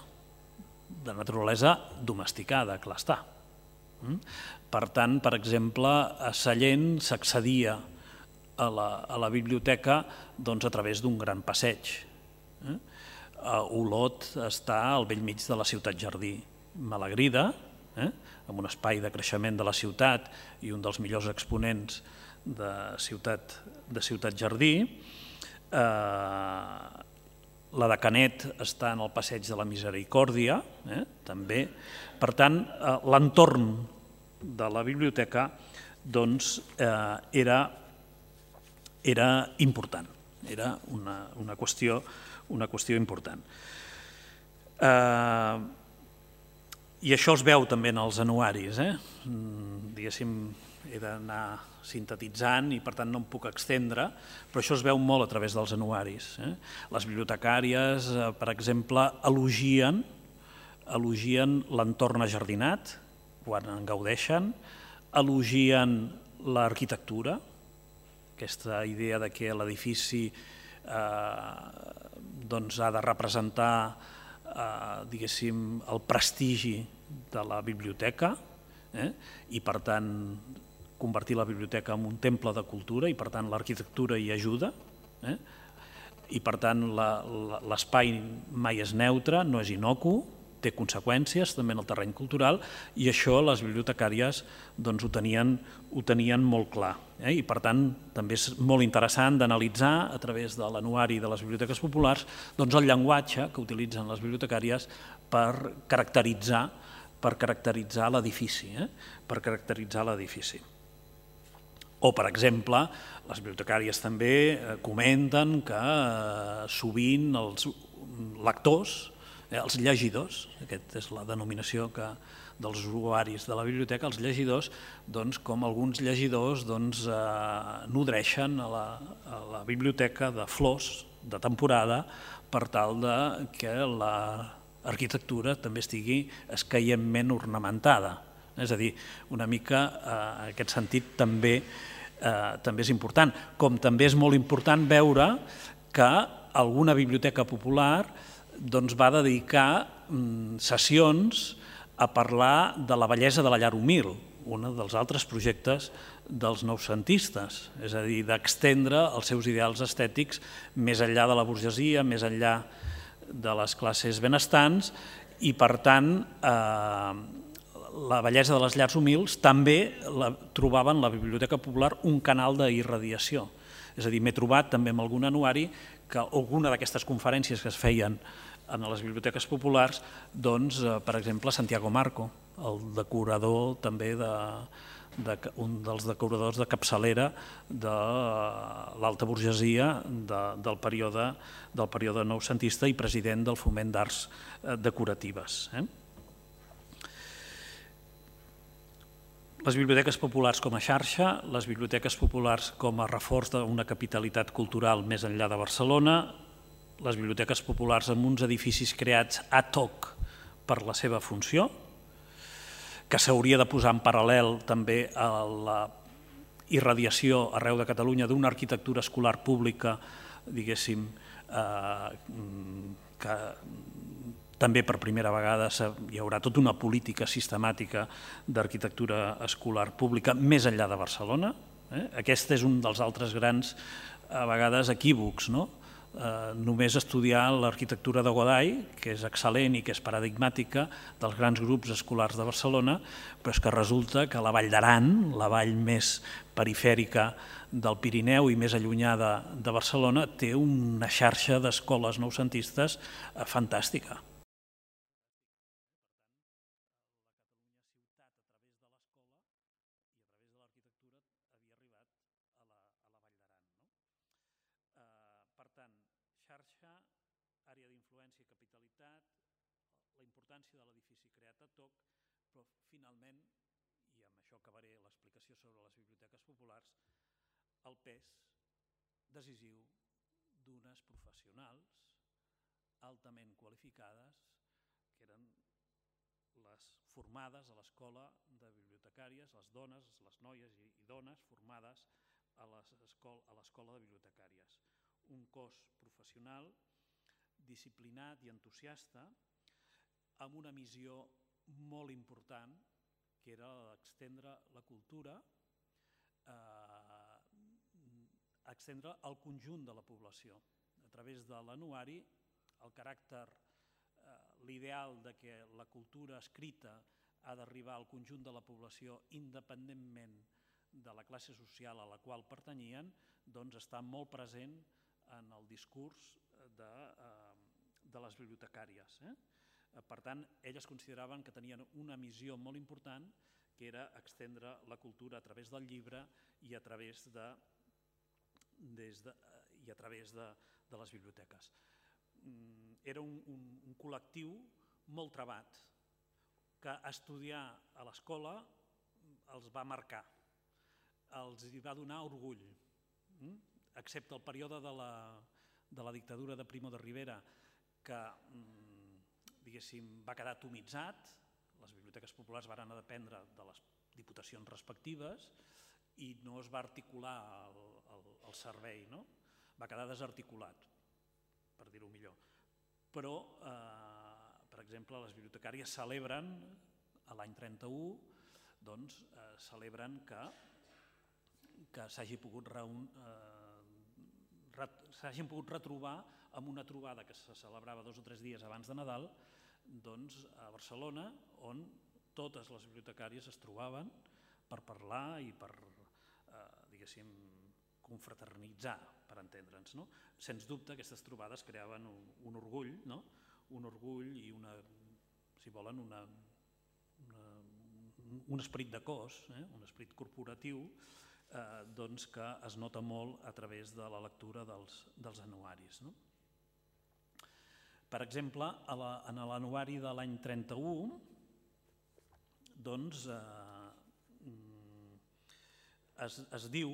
domesticada, clar està. Per tant, per exemple, a Sallent s'accedia a la biblioteca a través d'un gran passeig. Olot està al bell mig de la ciutat jardí malagrida, amb un espai de creixement de la ciutat i un dels millors exponents de ciutat jardí. la de Canet està en el Passeig de la Misericòrdia, també. Per tant, l'entorn de la biblioteca era important, era una qüestió important. I això es veu també en els anuaris, diguéssim, he d'anar sintetitzant i per tant no em puc extendre, però això es veu molt a través dels anuaris. Les bibliotecàries, per exemple, elogien l'entorn ajardinat, quan en gaudeixen, elogien l'arquitectura, aquesta idea de que l'edifici ha de representar, diguéssim, el prestigi de la biblioteca i per tant convertir la biblioteca en un temple de cultura i per tant l'arquitectura hi ajuda i per tant l'espai mai és neutre, no és innocu, té conseqüències també en el terreny cultural i això les bibliotecàries ho tenien molt clar. I per tant també és molt interessant d'analitzar a través de l'anuari de les biblioteques populars el llenguatge que utilitzen les bibliotecàries per caracteritzar l'edifici. O, per exemple, les bibliotecàries també comenten que sovint els lectors, els llegidors, aquesta és la denominació dels usuaris de la biblioteca, els llegidors, com alguns llegidors nodreixen a la biblioteca de flors de temporada per tal que l'arquitectura també estigui escaient ornamentada. És a dir, una mica en aquest sentit també és important. Com també és molt important veure que alguna biblioteca popular va dedicar sessions a parlar de la bellesa de la llar humil, un dels altres projectes dels noucentistes, és a dir, d'extendre els seus ideals estètics més enllà de la burgesia, més enllà de les classes benestants i, per tant, la bellesa de les llars humils també trobaven la Biblioteca Popular un canal d'irradiació. És a dir, m'he trobat també en algun anuari que alguna d'aquestes conferències que es feien en les biblioteques populars, per exemple, Santiago Marco, el decorador també un dels decoradors de capçalera de l'alta burgesia del període noucentista i president del Foment d'Arts Decoratives. Les biblioteques populars com a xarxa, les biblioteques populars com a reforç d'una capitalitat cultural més enllà de Barcelona, les biblioteques populars amb uns edificis creats ad hoc per la seva funció, que s'hauria de posar en paral·lel també a la irradiació arreu de Catalunya d'una arquitectura escolar pública, diguéssim, que també per primera vegada hi haurà tota una política sistemàtica d'arquitectura escolar pública més enllà de Barcelona. Aquest és un dels altres grans, a vegades, equívocs. Només estudiar l'arquitectura de Godall, que és excel·lent i que és paradigmàtica dels grans grups escolars de Barcelona, però és que resulta que la Vall d'Aran, la vall més perifèrica del Pirineu i més allunyada de Barcelona, té una xarxa d'escoles noucentistes fantàstica. De l'edifici creat ad hoc, però finalment, i amb això acabaré l'explicació sobre les biblioteques populars, el pes decisiu d'unes professionals altament qualificades que eren les formades a l'escola de bibliotecàries, les dones, les noies i dones formades a l'escola de bibliotecàries. Un cos professional disciplinat i entusiasta amb una missió molt important, que era extendre la cultura, extendre al conjunt de la població. A través de l'anuari, el caràcter, l'ideal de que la cultura escrita ha d'arribar al conjunt de la població independentment de la classe social a la qual pertanyien, doncs està molt present en el discurs de les bibliotecàries. Per tant, elles consideraven que tenien una missió molt important, que era extendre la cultura a través del llibre i a través de les biblioteques. Era un col·lectiu molt trebat, que estudiar a l'escola els va marcar, els hi va donar orgull, excepte el període de la dictadura de Primo de Rivera, que va quedar atomitzat, les biblioteques populars van dependre de les diputacions respectives i no es va articular el servei, va quedar desarticulat, per dir-ho millor. Però, per exemple, les bibliotecàries celebren, l'any 31, celebren que s'hagin pogut retrobar amb una trobada que se celebrava 2 o 3 dies abans de Nadal a Barcelona, on totes les bibliotecàries es trobaven per parlar i per, diguéssim, confraternitzar, per entendre'ns. Sens dubte, aquestes trobades creaven un orgull, un orgull i si volen, un esperit de cos, un esperit corporatiu, que es nota molt a través de la lectura dels anuaris. Per exemple, en l'anuari de l'any 31, es diu,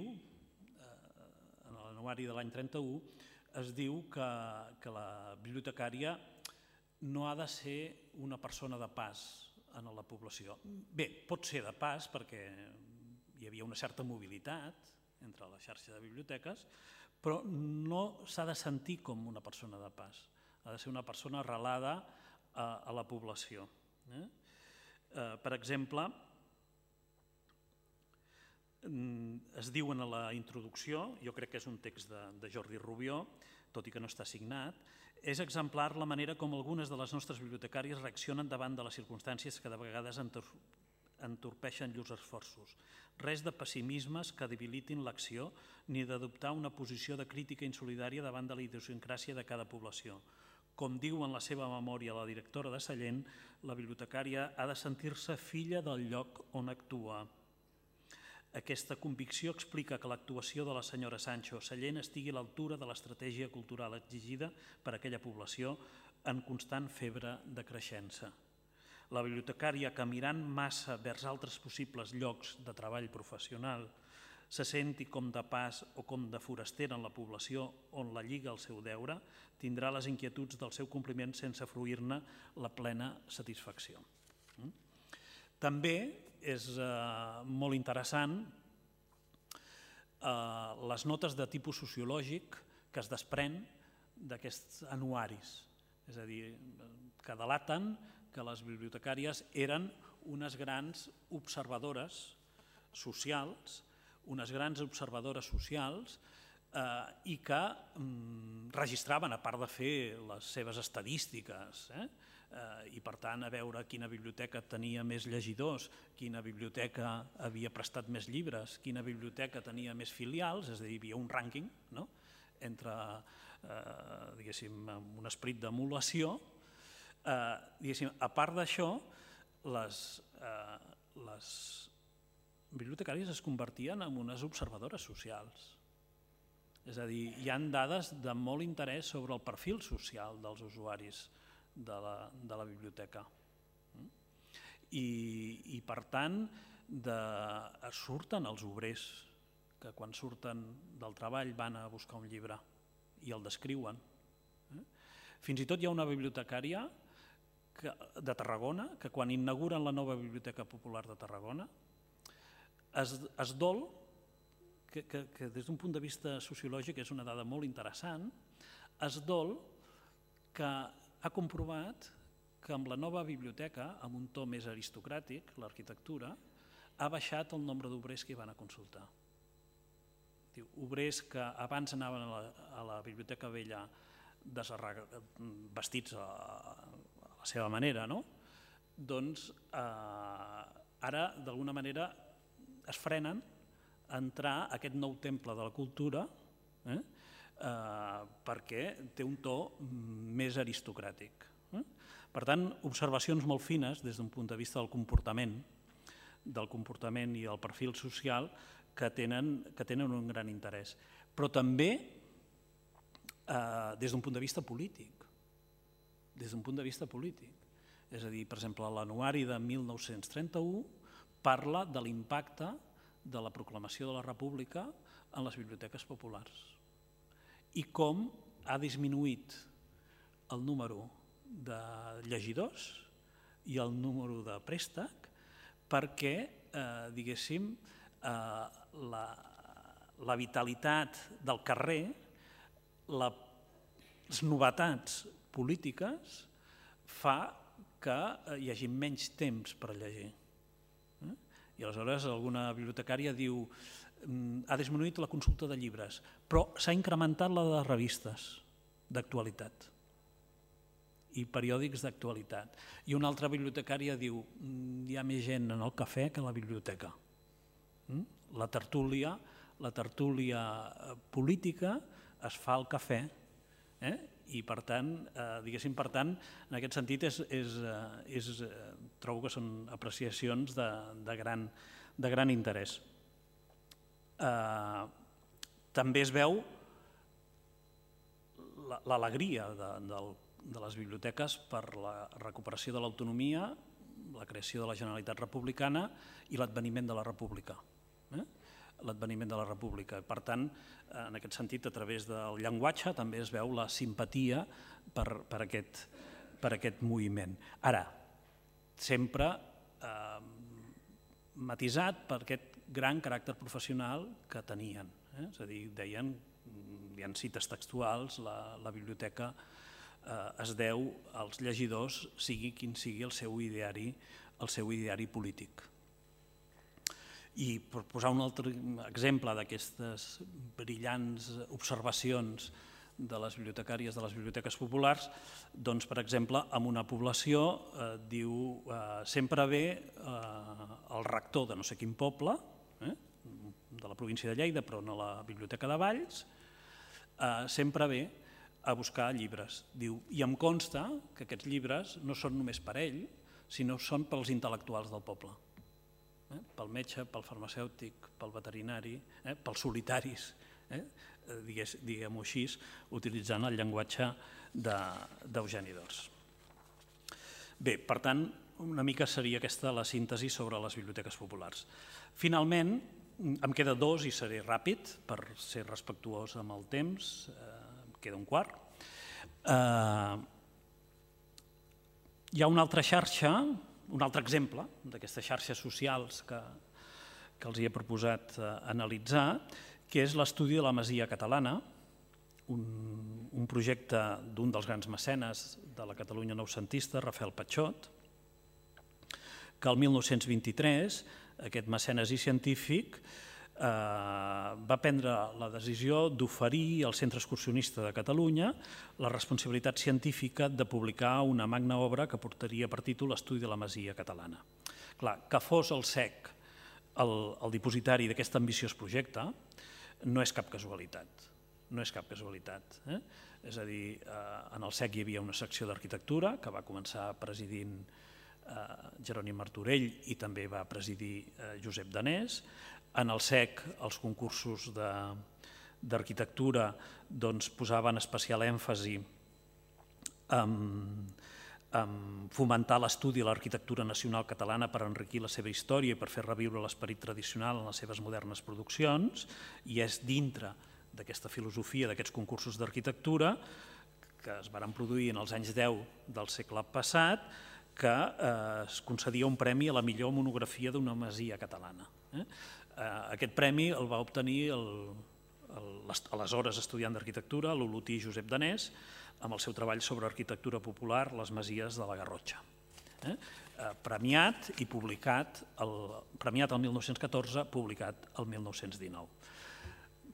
en l'anuari de l'any 31, es diu que la bibliotecària no ha de ser una persona de pas en la població. Bé, pot ser de pas perquè hi havia una certa mobilitat entre la xarxa de biblioteques, però no s'ha de sentir com una persona de pas, ha de ser una persona arrelada a la població. Per exemple, es diu en la introducció, jo crec que és un text de Jordi Rubió, tot i que no està signat, és exemplar la manera com algunes de les nostres bibliotecàries reaccionen davant de les circumstàncies que de vegades entorpeixen llurs esforços. Res de pessimismes que debilitin l'acció ni d'adoptar una posició de crítica insolidària davant de la idiosincràsia de cada població. Com diu en la seva memòria la directora de Sallent, la bibliotecària ha de sentir-se filla del lloc on actua. Aquesta convicció explica que l'actuació de la senyora Sancho Sallent estigui a l'altura de l'estratègia cultural exigida per a aquella població en constant febre de creixença. La bibliotecària, que mirant massa vers altres possibles llocs de treball professional, se senti com de pas o com de forastera en la població on la lliga el seu deure, tindrà les inquietuds del seu compliment sense fruir-ne la plena satisfacció. També és molt interessant les notes de tipus sociològic que es desprèn d'aquests anuaris, és a dir, que delaten que les bibliotecàries eren unes grans observadores socials, i que registraven, a part de fer les seves estadístiques, i per tant a veure quina biblioteca tenia més llegidors, quina biblioteca havia prestat més llibres, quina biblioteca tenia més filials, és a dir, hi havia un rànquing entre, diguéssim, un esperit d'emulació. A part d'això, les bibliotecàries es convertien en unes observadores socials. És a dir, hi ha dades de molt interès sobre el perfil social dels usuaris de la biblioteca. I per tant, surten els obrers, que quan surten del treball van a buscar un llibre i el descriuen. Fins i tot hi ha una bibliotecària de Tarragona que quan inauguren la nova Biblioteca Popular de Tarragona es dol, que des d'un punt de vista sociològic és una dada molt interessant, es dol que ha comprovat que amb la nova biblioteca, amb un to més aristocràtic, l'arquitectura, ha baixat el nombre d'obrers que hi van a consultar. Obrers que abans anaven a la Biblioteca Vella vestits a la seva manera, doncs ara d'alguna manera es frenen a entrar a aquest nou temple de la cultura perquè té un to més aristocràtic. Per tant, observacions molt fines des d'un punt de vista del comportament i del perfil social que tenen un gran interès. Però també des d'un punt de vista polític. És a dir, per exemple, l'anuari de 1931 parla de l'impacte de la proclamació de la República en les biblioteques populars i com ha disminuït el número de llegidors i el número de préstec perquè, diguéssim, la vitalitat del carrer, les novetats polítiques fa que hi hagi menys temps per llegir. I aleshores alguna bibliotecària diu ha disminuït la consulta de llibres, però s'ha incrementat la de revistes d'actualitat i periòdics d'actualitat. I una altra bibliotecària diu hi ha més gent en el cafè que a la biblioteca. La tertúlia política es fa al cafè i per tant, en aquest sentit trobo que són apreciacions de gran interès. També es veu l'alegria de les biblioteques per la recuperació de l'autonomia, la creació de la Generalitat Republicana i l'adveniment de la República. Per tant, en aquest sentit, a través del llenguatge també es veu la simpatia per aquest moviment. Ara, sempre matisat per aquest gran caràcter professional que tenien. És a dir, deien, hi ha cites textuals, la biblioteca es deu als llegidors, sigui quin sigui el seu ideari polític. I per posar un altre exemple d'aquestes brillants observacions de les bibliotecàries de les biblioteques populars, doncs, per exemple, en una població diu sempre ve el rector de no sé quin poble, de la província de Lleida, però no la Biblioteca de Valls, sempre ve a buscar llibres. Diu, i em consta que aquests llibres no són només per ell, sinó són pels intel·lectuals del poble. Pel metge, pel farmacèutic, pel veterinari, pels solitaris, diguem-ho així, utilitzant el llenguatge d'Eugeni d'Ors. Bé, per tant, una mica seria aquesta la síntesi sobre les biblioteques populars. Finalment, em queda dos i seré ràpid per ser respectuós amb el temps, em queda un quart. Hi ha una altra xarxa, un altre exemple d'aquestes xarxes socials que els he proposat analitzar, que és l'estudi de la Masia Catalana, un projecte d'un dels grans mecenes de la Catalunya noucentista, Rafael Patxot, que el 1923 aquest mecenes i científic va prendre la decisió d'oferir al Centre Excursionista de Catalunya la responsabilitat científica de publicar una magna obra que portaria per títol Estudi de la Masia Catalana. Clar, que fos el CEC el dipositari d'aquest ambiciós projecte no és cap casualitat. És a dir, en el CEC hi havia una secció d'arquitectura que va començar presidint Jeroni Martorell i també va presidir Josep Danés. En el CEC els concursos d'arquitectura posaven especial èmfasi en fomentar l'estudi de l'arquitectura nacional catalana per enriquir la seva història i per fer reviure l'esperit tradicional en les seves modernes produccions, i és dintre d'aquesta filosofia d'aquests concursos d'arquitectura que es van produir en els anys 10 del segle passat que es concedia un premi a la millor monografia d'una masia catalana. Aquest premi el va obtenir aleshores estudiant d'arquitectura, l'olotí Josep Danés, amb el seu treball sobre arquitectura popular, les masies de la Garrotxa. Premiat i publicat, premiat el 1914, publicat el 1919.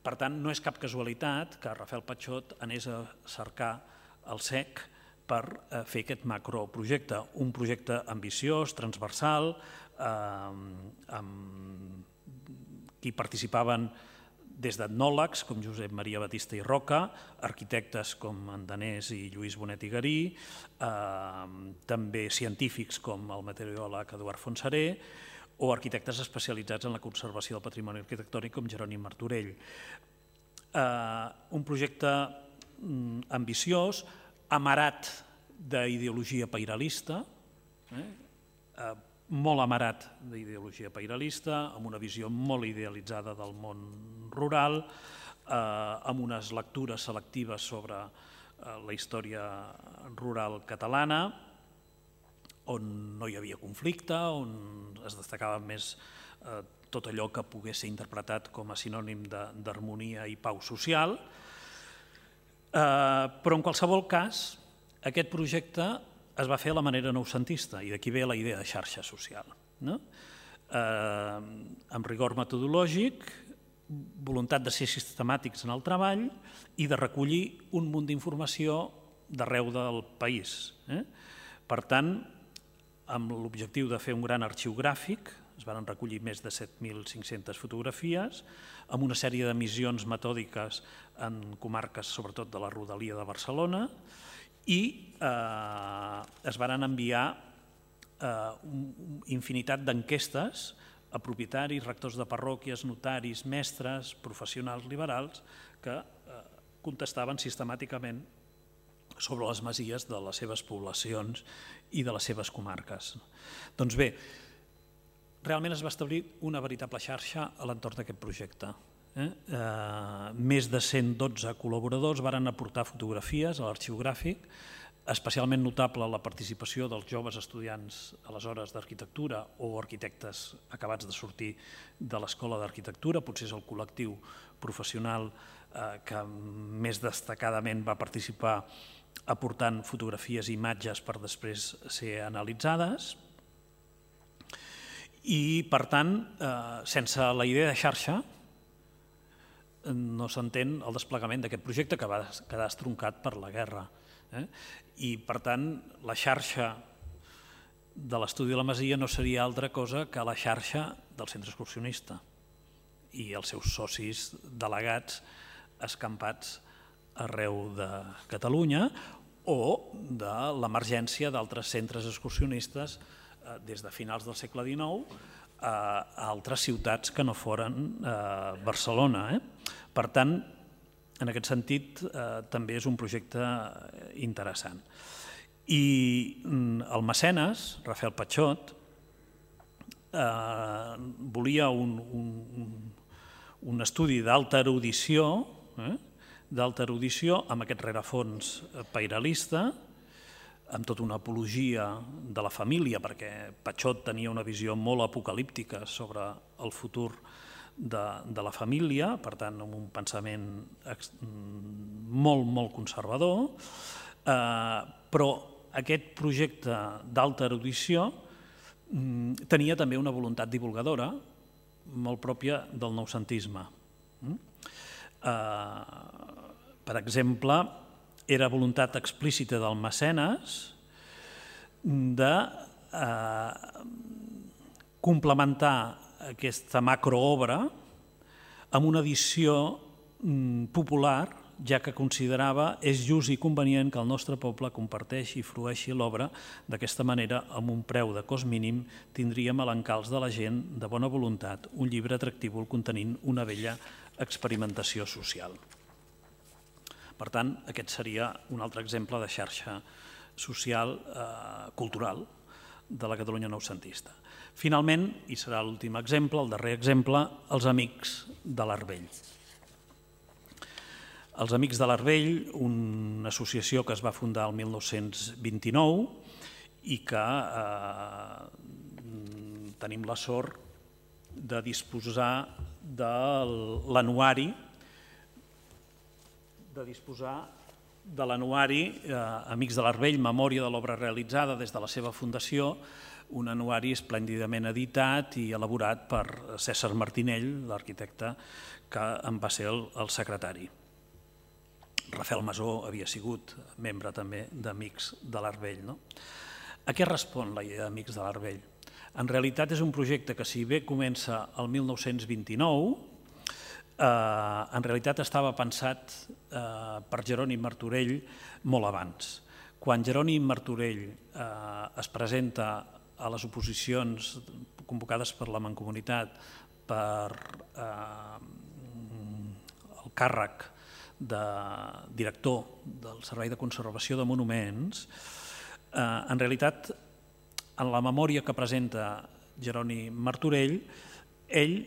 Per tant, no és cap casualitat que Rafael Patxot anés a cercar el CEC per fer aquest macroprojecte, un projecte ambiciós, transversal, amb qui participaven des d'etnòlegs com Josep Maria Batista i Roca, arquitectes com Andanés i Lluís Bonet i Garí, també científics com el meteoròleg Eduard Fontseré, o arquitectes especialitzats en la conservació del patrimoni arquitectònic com Jerònim Martorell. Un projecte ambiciós, amarat d'ideologia pairalista, molt amarat d'ideologia pairalista, amb una visió molt idealitzada del món rural, amb unes lectures selectives sobre la història rural catalana, on no hi havia conflicte, on es destacava més tot allò que pogués ser interpretat com a sinònim d'harmonia i pau social. Però en qualsevol cas, aquest projecte es va fer a la manera noucentista i d'aquí ve la idea de xarxa social. Amb rigor metodològic, voluntat de ser sistemàtics en el treball i de recollir un munt d'informació d'arreu del país. Per tant, amb l'objectiu de fer un gran arxiu gràfic, es van recollir més de 7.500 fotografies, amb una sèrie de missions metòdiques en comarques, sobretot de la rodalia de Barcelona, i es van enviar infinitat d'enquestes a propietaris, rectors de parròquies, notaris, mestres, professionals liberals que contestaven sistemàticament sobre les masies de les seves poblacions i de les seves comarques. Doncs bé, realment es va establir una veritable xarxa a l'entorn d'aquest projecte. Més de 112 col·laboradors varen aportar fotografies a l'arxiu gràfic, especialment notable la participació dels joves estudiants aleshores d'arquitectura o arquitectes acabats de sortir de l'Escola d'Arquitectura, potser és el col·lectiu professional que més destacadament va participar aportant fotografies i imatges per després ser analitzades. I, per tant, sense la idea de xarxa, no s'entén el desplegament d'aquest projecte que va quedar estroncat per la guerra. I, per tant, la xarxa de l'estudi de la Masia no seria altra cosa que la xarxa del centre excursionista i els seus socis delegats escampats arreu de Catalunya o de l'emergència d'altres centres excursionistes des de finals del segle XIX a altres ciutats que no foren Barcelona. Per tant, en aquest sentit, també és un projecte interessant. I el mecenes, Rafael Patxot, volia un estudi d'alta erudició amb aquest rerefons pairalista, amb tota una apologia de la família, perquè Patxot tenia una visió molt apocalíptica sobre el futur de la família, per tant, amb un pensament molt, molt conservador, però aquest projecte d'alta erudició tenia també una voluntat divulgadora molt pròpia del noucentisme. Per exemple, era voluntat explícita del mecenes de complementar aquesta macroobra amb una edició popular, ja que considerava és just i convenient que el nostre poble comparteixi i frueixi l'obra. D'aquesta manera, amb un preu de cost mínim, tindríem a l'encalç de la gent de bona voluntat un llibre atractiu contenint una bella experimentació social. Per tant, aquest seria un altre exemple de xarxa social cultural de la Catalunya noucentista. Finalment, i serà l'últim exemple, el darrer exemple, els Amics de l'Arvell. Els Amics de l'Arvell, una associació que es va fundar el 1929 i que tenim la sort de disposar de l'anuari Amics de l'Arvell, memòria de l'obra realitzada des de la seva fundació, un anuari esplèndidament editat i elaborat per César Martinell, l'arquitecte que en va ser el secretari. Rafael Masó havia sigut membre també d'Amics de l'Arvell. A què respon la idea d'Amics de l'Arvell? En realitat és un projecte que, si bé comença el 1929, en realitat estava pensat per Jerònim Martorell molt abans. Quan Jerònim Martorell es presenta a les oposicions convocades per la Mancomunitat per el càrrec de director del Servei de Conservació de Monuments, en realitat, en la memòria que presenta Jerònim Martorell, ell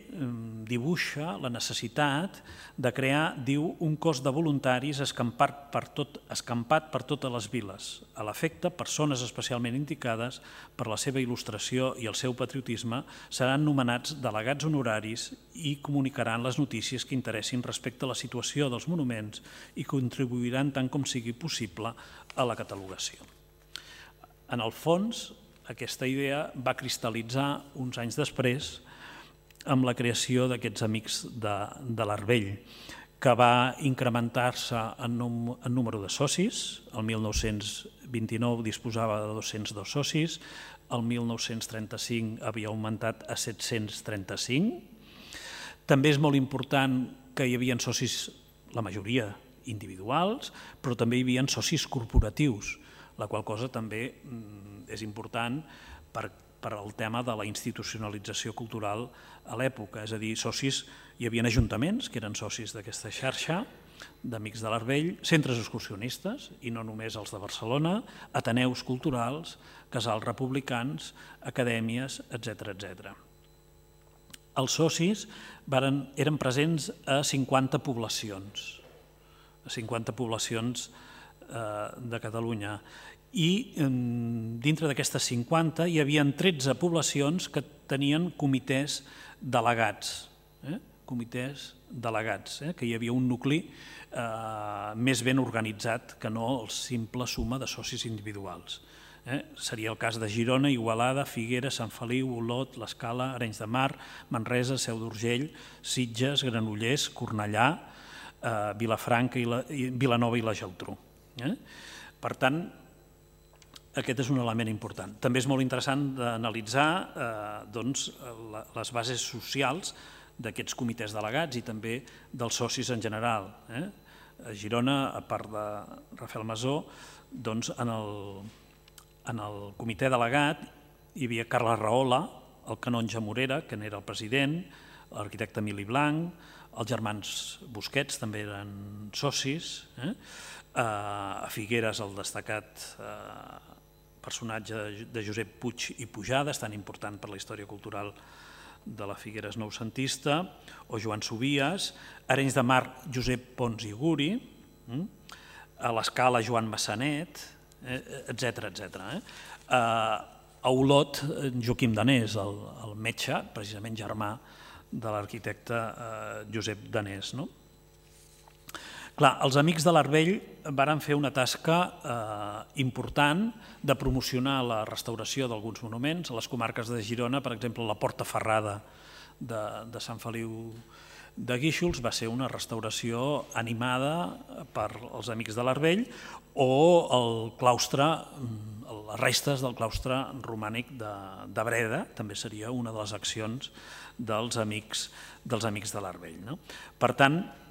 dibuixa la necessitat de crear, diu, un cos de voluntaris escampat per totes les viles. A l'efecte, persones especialment indicades per la seva il·lustració i el seu patriotisme seran nomenats delegats honoraris i comunicaran les notícies que interessin respecte a la situació dels monuments i contribuiran tant com sigui possible a la catalogació. En el fons, aquesta idea va cristal·litzar uns anys després amb la creació d'aquests Amics de l'Arvell, que va incrementar-se en número de socis. El 1929 disposava de 202 socis, el 1935 havia augmentat a 735. També és molt important que hi havia socis, la majoria individuals, però també hi havia socis corporatius, la qual cosa també és important per al tema de la institucionalització cultural a l'època. És a dir, socis, hi havia ajuntaments que eren socis d'aquesta xarxa d'Amics de l'Arvell, centres excursionistes, i no només els de Barcelona, ateneus culturals, casals republicans, acadèmies, etc. Els socis eren presents a 50 poblacions, de Catalunya, i dintre d'aquestes 50 hi havia 13 poblacions que tenien comitès delegats, que hi havia un nucli més ben organitzat que no la simple suma de socis individuals. Seria el cas de Girona, Igualada, Figueres, Sant Feliu, Olot, l'Escala, Arenys de Mar, Manresa, Seu d'Urgell, Sitges, Granollers, Cornellà, Vilafranca, Vilanova i la Geltrú. Per tant, aquest és un element important. També és molt interessant d'analitzar les bases socials d'aquests comitès delegats i també dels socis en general. A Girona, a part de Rafael Masó, en el comitè delegat hi havia Carles Rahola, el canonge Morera, que n'era el president, l'arquitecte Emili Blanc, els germans Busquets també eren socis, a Figueres el destacat personatge de Josep Puig i Pujades, tan important per la història cultural de la Figueres noucentista, o Joan Subies, Arenys de Mar, Josep Pons i Guri, a l'Escala, Joan Massanet, etc. A Olot, Joaquim Danés, el metge, precisament germà de l'arquitecte Josep Danés. Clar, els Amics de l'Arvell varen fer una tasca important de promocionar la restauració d'alguns monuments. A les comarques de Girona, per exemple, la Porta Ferrada de Sant Feliu de Guíxols va ser una restauració animada per els Amics de l'Arvell, o el claustre, les restes del claustre romànic de Breda, també seria una de les accions dels Amics de l'Arvell. Per tant,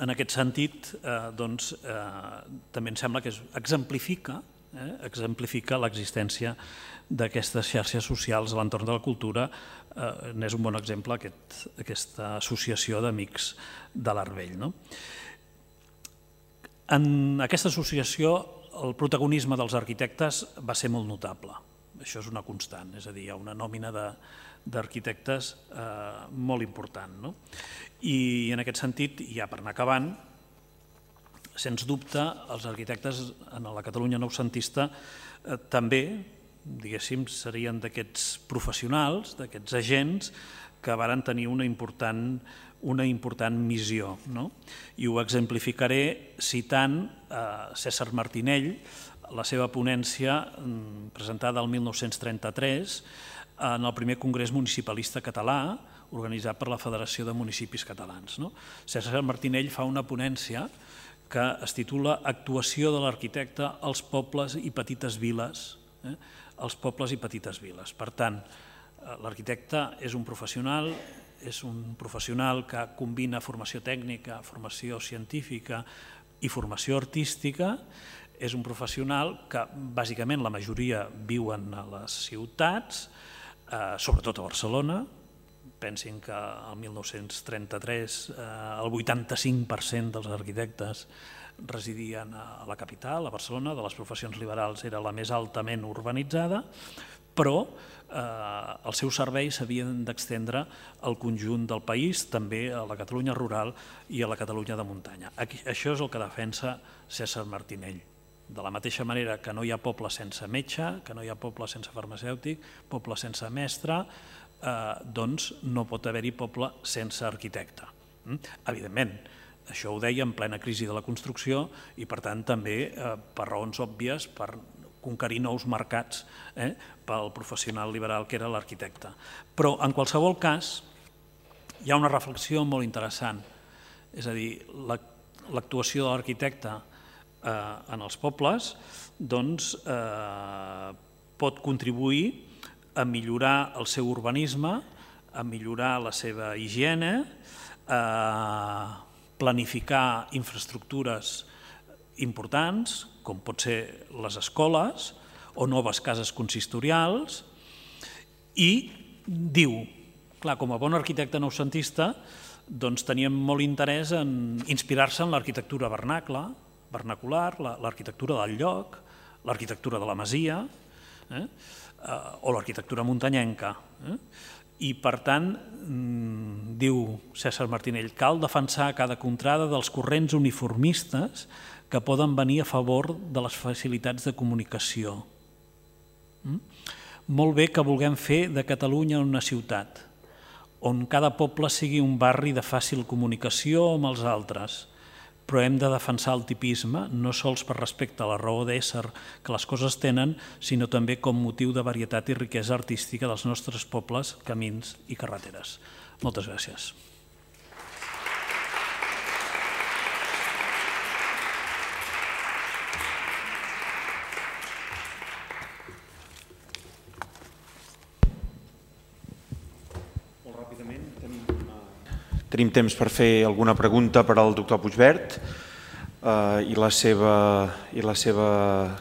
en aquest sentit, també em sembla que exemplifica l'existència d'aquestes xarxes socials a l'entorn de la cultura. N'és un bon exemple aquesta associació d'Amics de l'Arvell. En aquesta associació el protagonisme dels arquitectes va ser molt notable. Això és una constant, és a dir, hi ha una nòmina d'arquitectes molt important. I en aquest sentit, ja per anar acabant, sens dubte, els arquitectes en la Catalunya noucentista també, diguéssim, serien d'aquests professionals, d'aquests agents que varen tenir una important missió. I ho exemplificaré citant Cèsar Martinell, la seva ponència presentada el 1933 en el primer Congrés Municipalista Català, organitzat per la Federació de Municipis Catalans. Cèsar Martinell fa una ponència que es titula Actuació de l'arquitecte als pobles i petites viles. Per tant, l'arquitecte és un professional, és un professional que combina formació tècnica, formació científica i formació artística. És un professional que bàsicament la majoria viuen a les ciutats, sobretot a Barcelona. Pensin que el 1933 el 85% dels arquitectes residien a la capital, a Barcelona, de les professions liberals era la més altament urbanitzada, però els seus serveis s'havien d'extendre al conjunt del país, també a la Catalunya rural i a la Catalunya de muntanya. Això és el que defensa Cèsar Martinell. De la mateixa manera que no hi ha poble sense metge, que no hi ha poble sense farmacèutic, poble sense mestre, doncs no pot haver-hi poble sense arquitecte. Evidentment, això ho deia en plena crisi de la construcció i, per tant, també per raons òbvies, per conquerir nous mercats pel professional liberal que era l'arquitecte. Però, en qualsevol cas, hi ha una reflexió molt interessant. És a dir, l'actuació de l'arquitecte en els pobles pot contribuir a millorar el seu urbanisme, a millorar la seva higiene, a planificar infraestructures importants, com pot ser les escoles o noves cases consistorials, i diu, clar, com a bon arquitecte noucentista, doncs teníem molt interès en inspirar-se en l'arquitectura vernacular, l'arquitectura del lloc, l'arquitectura de la masia o l'arquitectura muntanyenca. I, per tant, diu Cèsar Martinell, cal defensar cada contrada dels corrents uniformistes que poden venir a favor de les facilitats de comunicació. Molt bé que vulguem fer de Catalunya una ciutat, on cada poble sigui un barri de fàcil comunicació amb els altres, però hem de defensar el tipisme no sols per respecte a la raó d'ésser que les coses tenen, sinó també com motiu de varietat i riquesa artística dels nostres pobles, camins i carreteres. Moltes gràcies. Tenim temps per fer alguna pregunta per al doctor Puigvert i la seva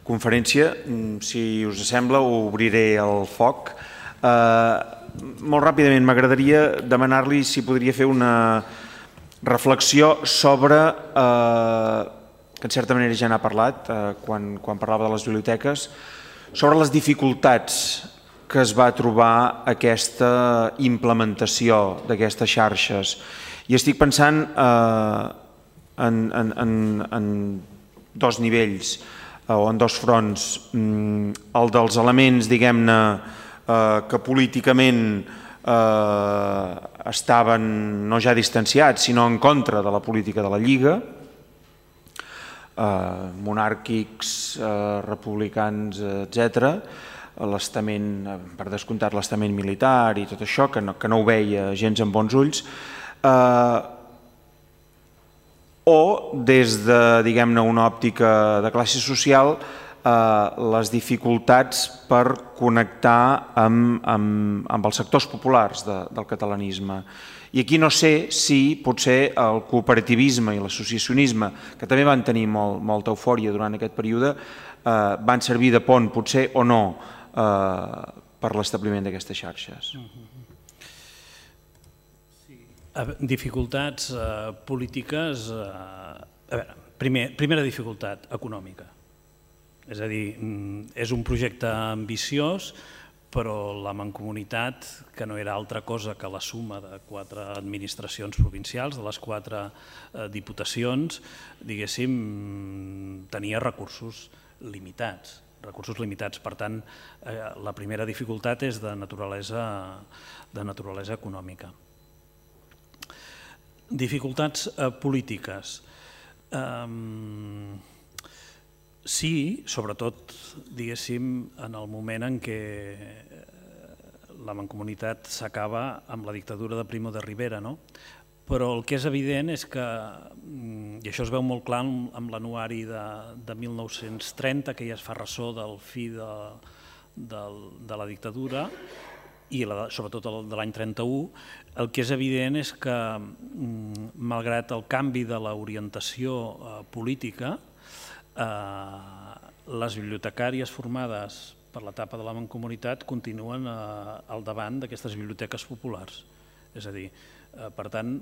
conferència. Si us sembla, obriré el foc. Molt ràpidament, m'agradaria demanar-li si podria fer una reflexió sobre, que en certa manera ja n'ha parlat quan parlava de les biblioteques, sobre les dificultats que es va trobar aquesta implementació d'aquestes xarxes. I estic pensant en dos nivells o en dos fronts. El dels elements, diguem-ne, que políticament estaven no ja distanciats, sinó en contra de la política de la Lliga, monàrquics, republicans, etcètera, l'estament, per descomptat l'estament militar i tot això, que no ho veia gens amb bons ulls, o des de, diguem-ne, una òptica de classe social, les dificultats per connectar amb els sectors populars del catalanisme. I aquí no sé si potser el cooperativisme i l'associacionisme, que també van tenir molta eufòria durant aquest període, van servir de pont, potser, o no, per l'establiment d'aquestes xarxes. Dificultats polítiques... A veure, primera dificultat, econòmica. És a dir, és un projecte ambiciós, però la Mancomunitat, que no era altra cosa que la suma de 4 administracions provincials, de les 4 diputacions, diguéssim, tenia recursos limitats. Per tant, la primera dificultat és de naturalesa econòmica. Dificultats polítiques. Sí, sobretot, diguéssim, en el moment en què la Mancomunitat s'acaba amb la dictadura de Primo de Rivera, no? Però el que és evident és que, i això es veu molt clar amb l'anuari de 1930, que ja es fa ressò del fi de la dictadura, i sobretot el de l'any 31, el que és evident és que, malgrat el canvi de l'orientació política, les bibliotecàries formades per l'etapa de la Mancomunitat continuen al davant d'aquestes biblioteques populars. És a dir, per tant,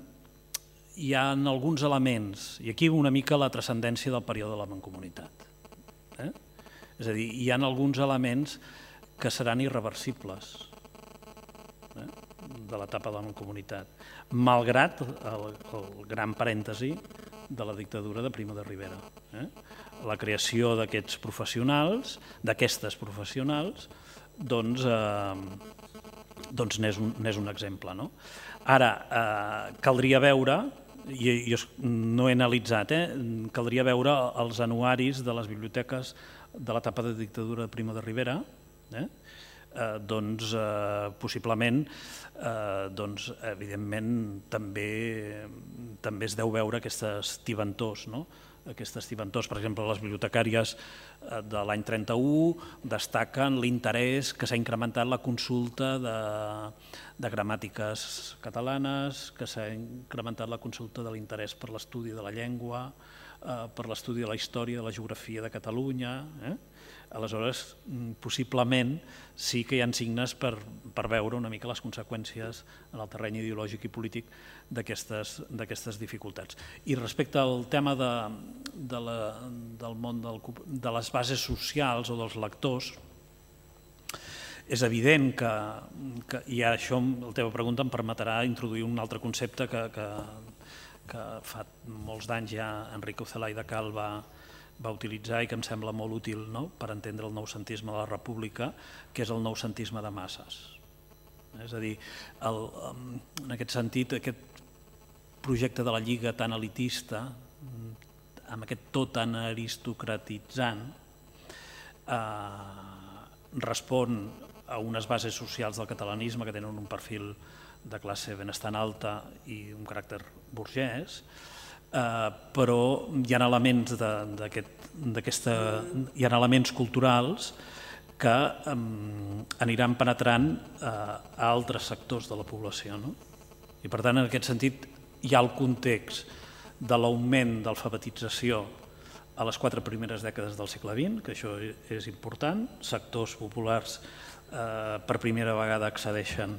hi ha alguns elements, i aquí una mica la transcendència del període de la Mancomunitat. És a dir, hi ha alguns elements que seran irreversibles de l'etapa de la Mancomunitat, malgrat el gran parèntesi de la dictadura de Primo de Rivera. La creació d'aquests professionals, d'aquestes professionals, doncs n'és un exemple. Ara, caldria veure, i jo no he analitzat, caldria veure els anuaris de les biblioteques de l'etapa de dictadura de Primo de Rivera, doncs possiblement, evidentment, també es deu veure aquestes tibantors, per exemple, les bibliotecàries de l'any 31 destaquen l'interès que s'ha incrementat la consulta de gramàtiques catalanes, que s'ha incrementat la consulta de l'interès per l'estudi de la llengua, per l'estudi de la història, de la geografia de Catalunya. Aleshores, possiblement sí que hi ha signes per veure una mica les conseqüències en el terreny ideològic i polític d'aquestes dificultats. I respecte al tema del món de les bases socials o dels lectors, és evident que, i això, la teva pregunta em permetrà introduir un altre concepte que fa molts d'anys ja Enrique Ocelay de Cal va utilitzar i que em sembla molt útil per entendre el noucentisme de la República, que és el noucentisme de masses. És a dir, en aquest sentit, aquest projecte de la Lliga tan elitista, amb aquest to tan aristocratitzant, respon a unes bases socials del catalanisme que tenen un perfil de classe benestant alta i un caràcter burgès, però hi ha elements hi ha elements culturals que aniran penetrant a altres sectors de la població. I per tant, en aquest sentit, hi ha el context de l'augment d'alfabetització a les 4 primeres dècades del segle XX, que això és important, sectors populars per primera vegada accedeixen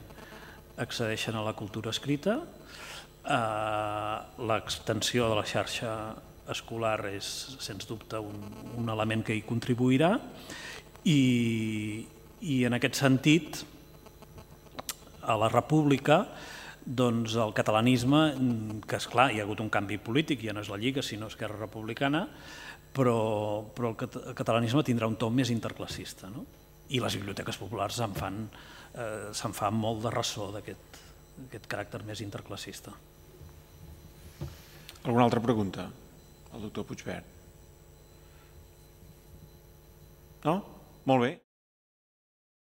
a la cultura escrita, l'extensió de la xarxa escolar és, sens dubte, un element que hi contribuirà i en aquest sentit, a la República, doncs el catalanisme, que esclar, hi ha hagut un canvi polític, ja no és la Lliga, sinó Esquerra Republicana, però el catalanisme tindrà un to més interclassista, i les biblioteques populars se'n fan molt de ressò d'aquest caràcter més interclassista. Alguna altra pregunta al doctor Puigvert? No? Molt bé.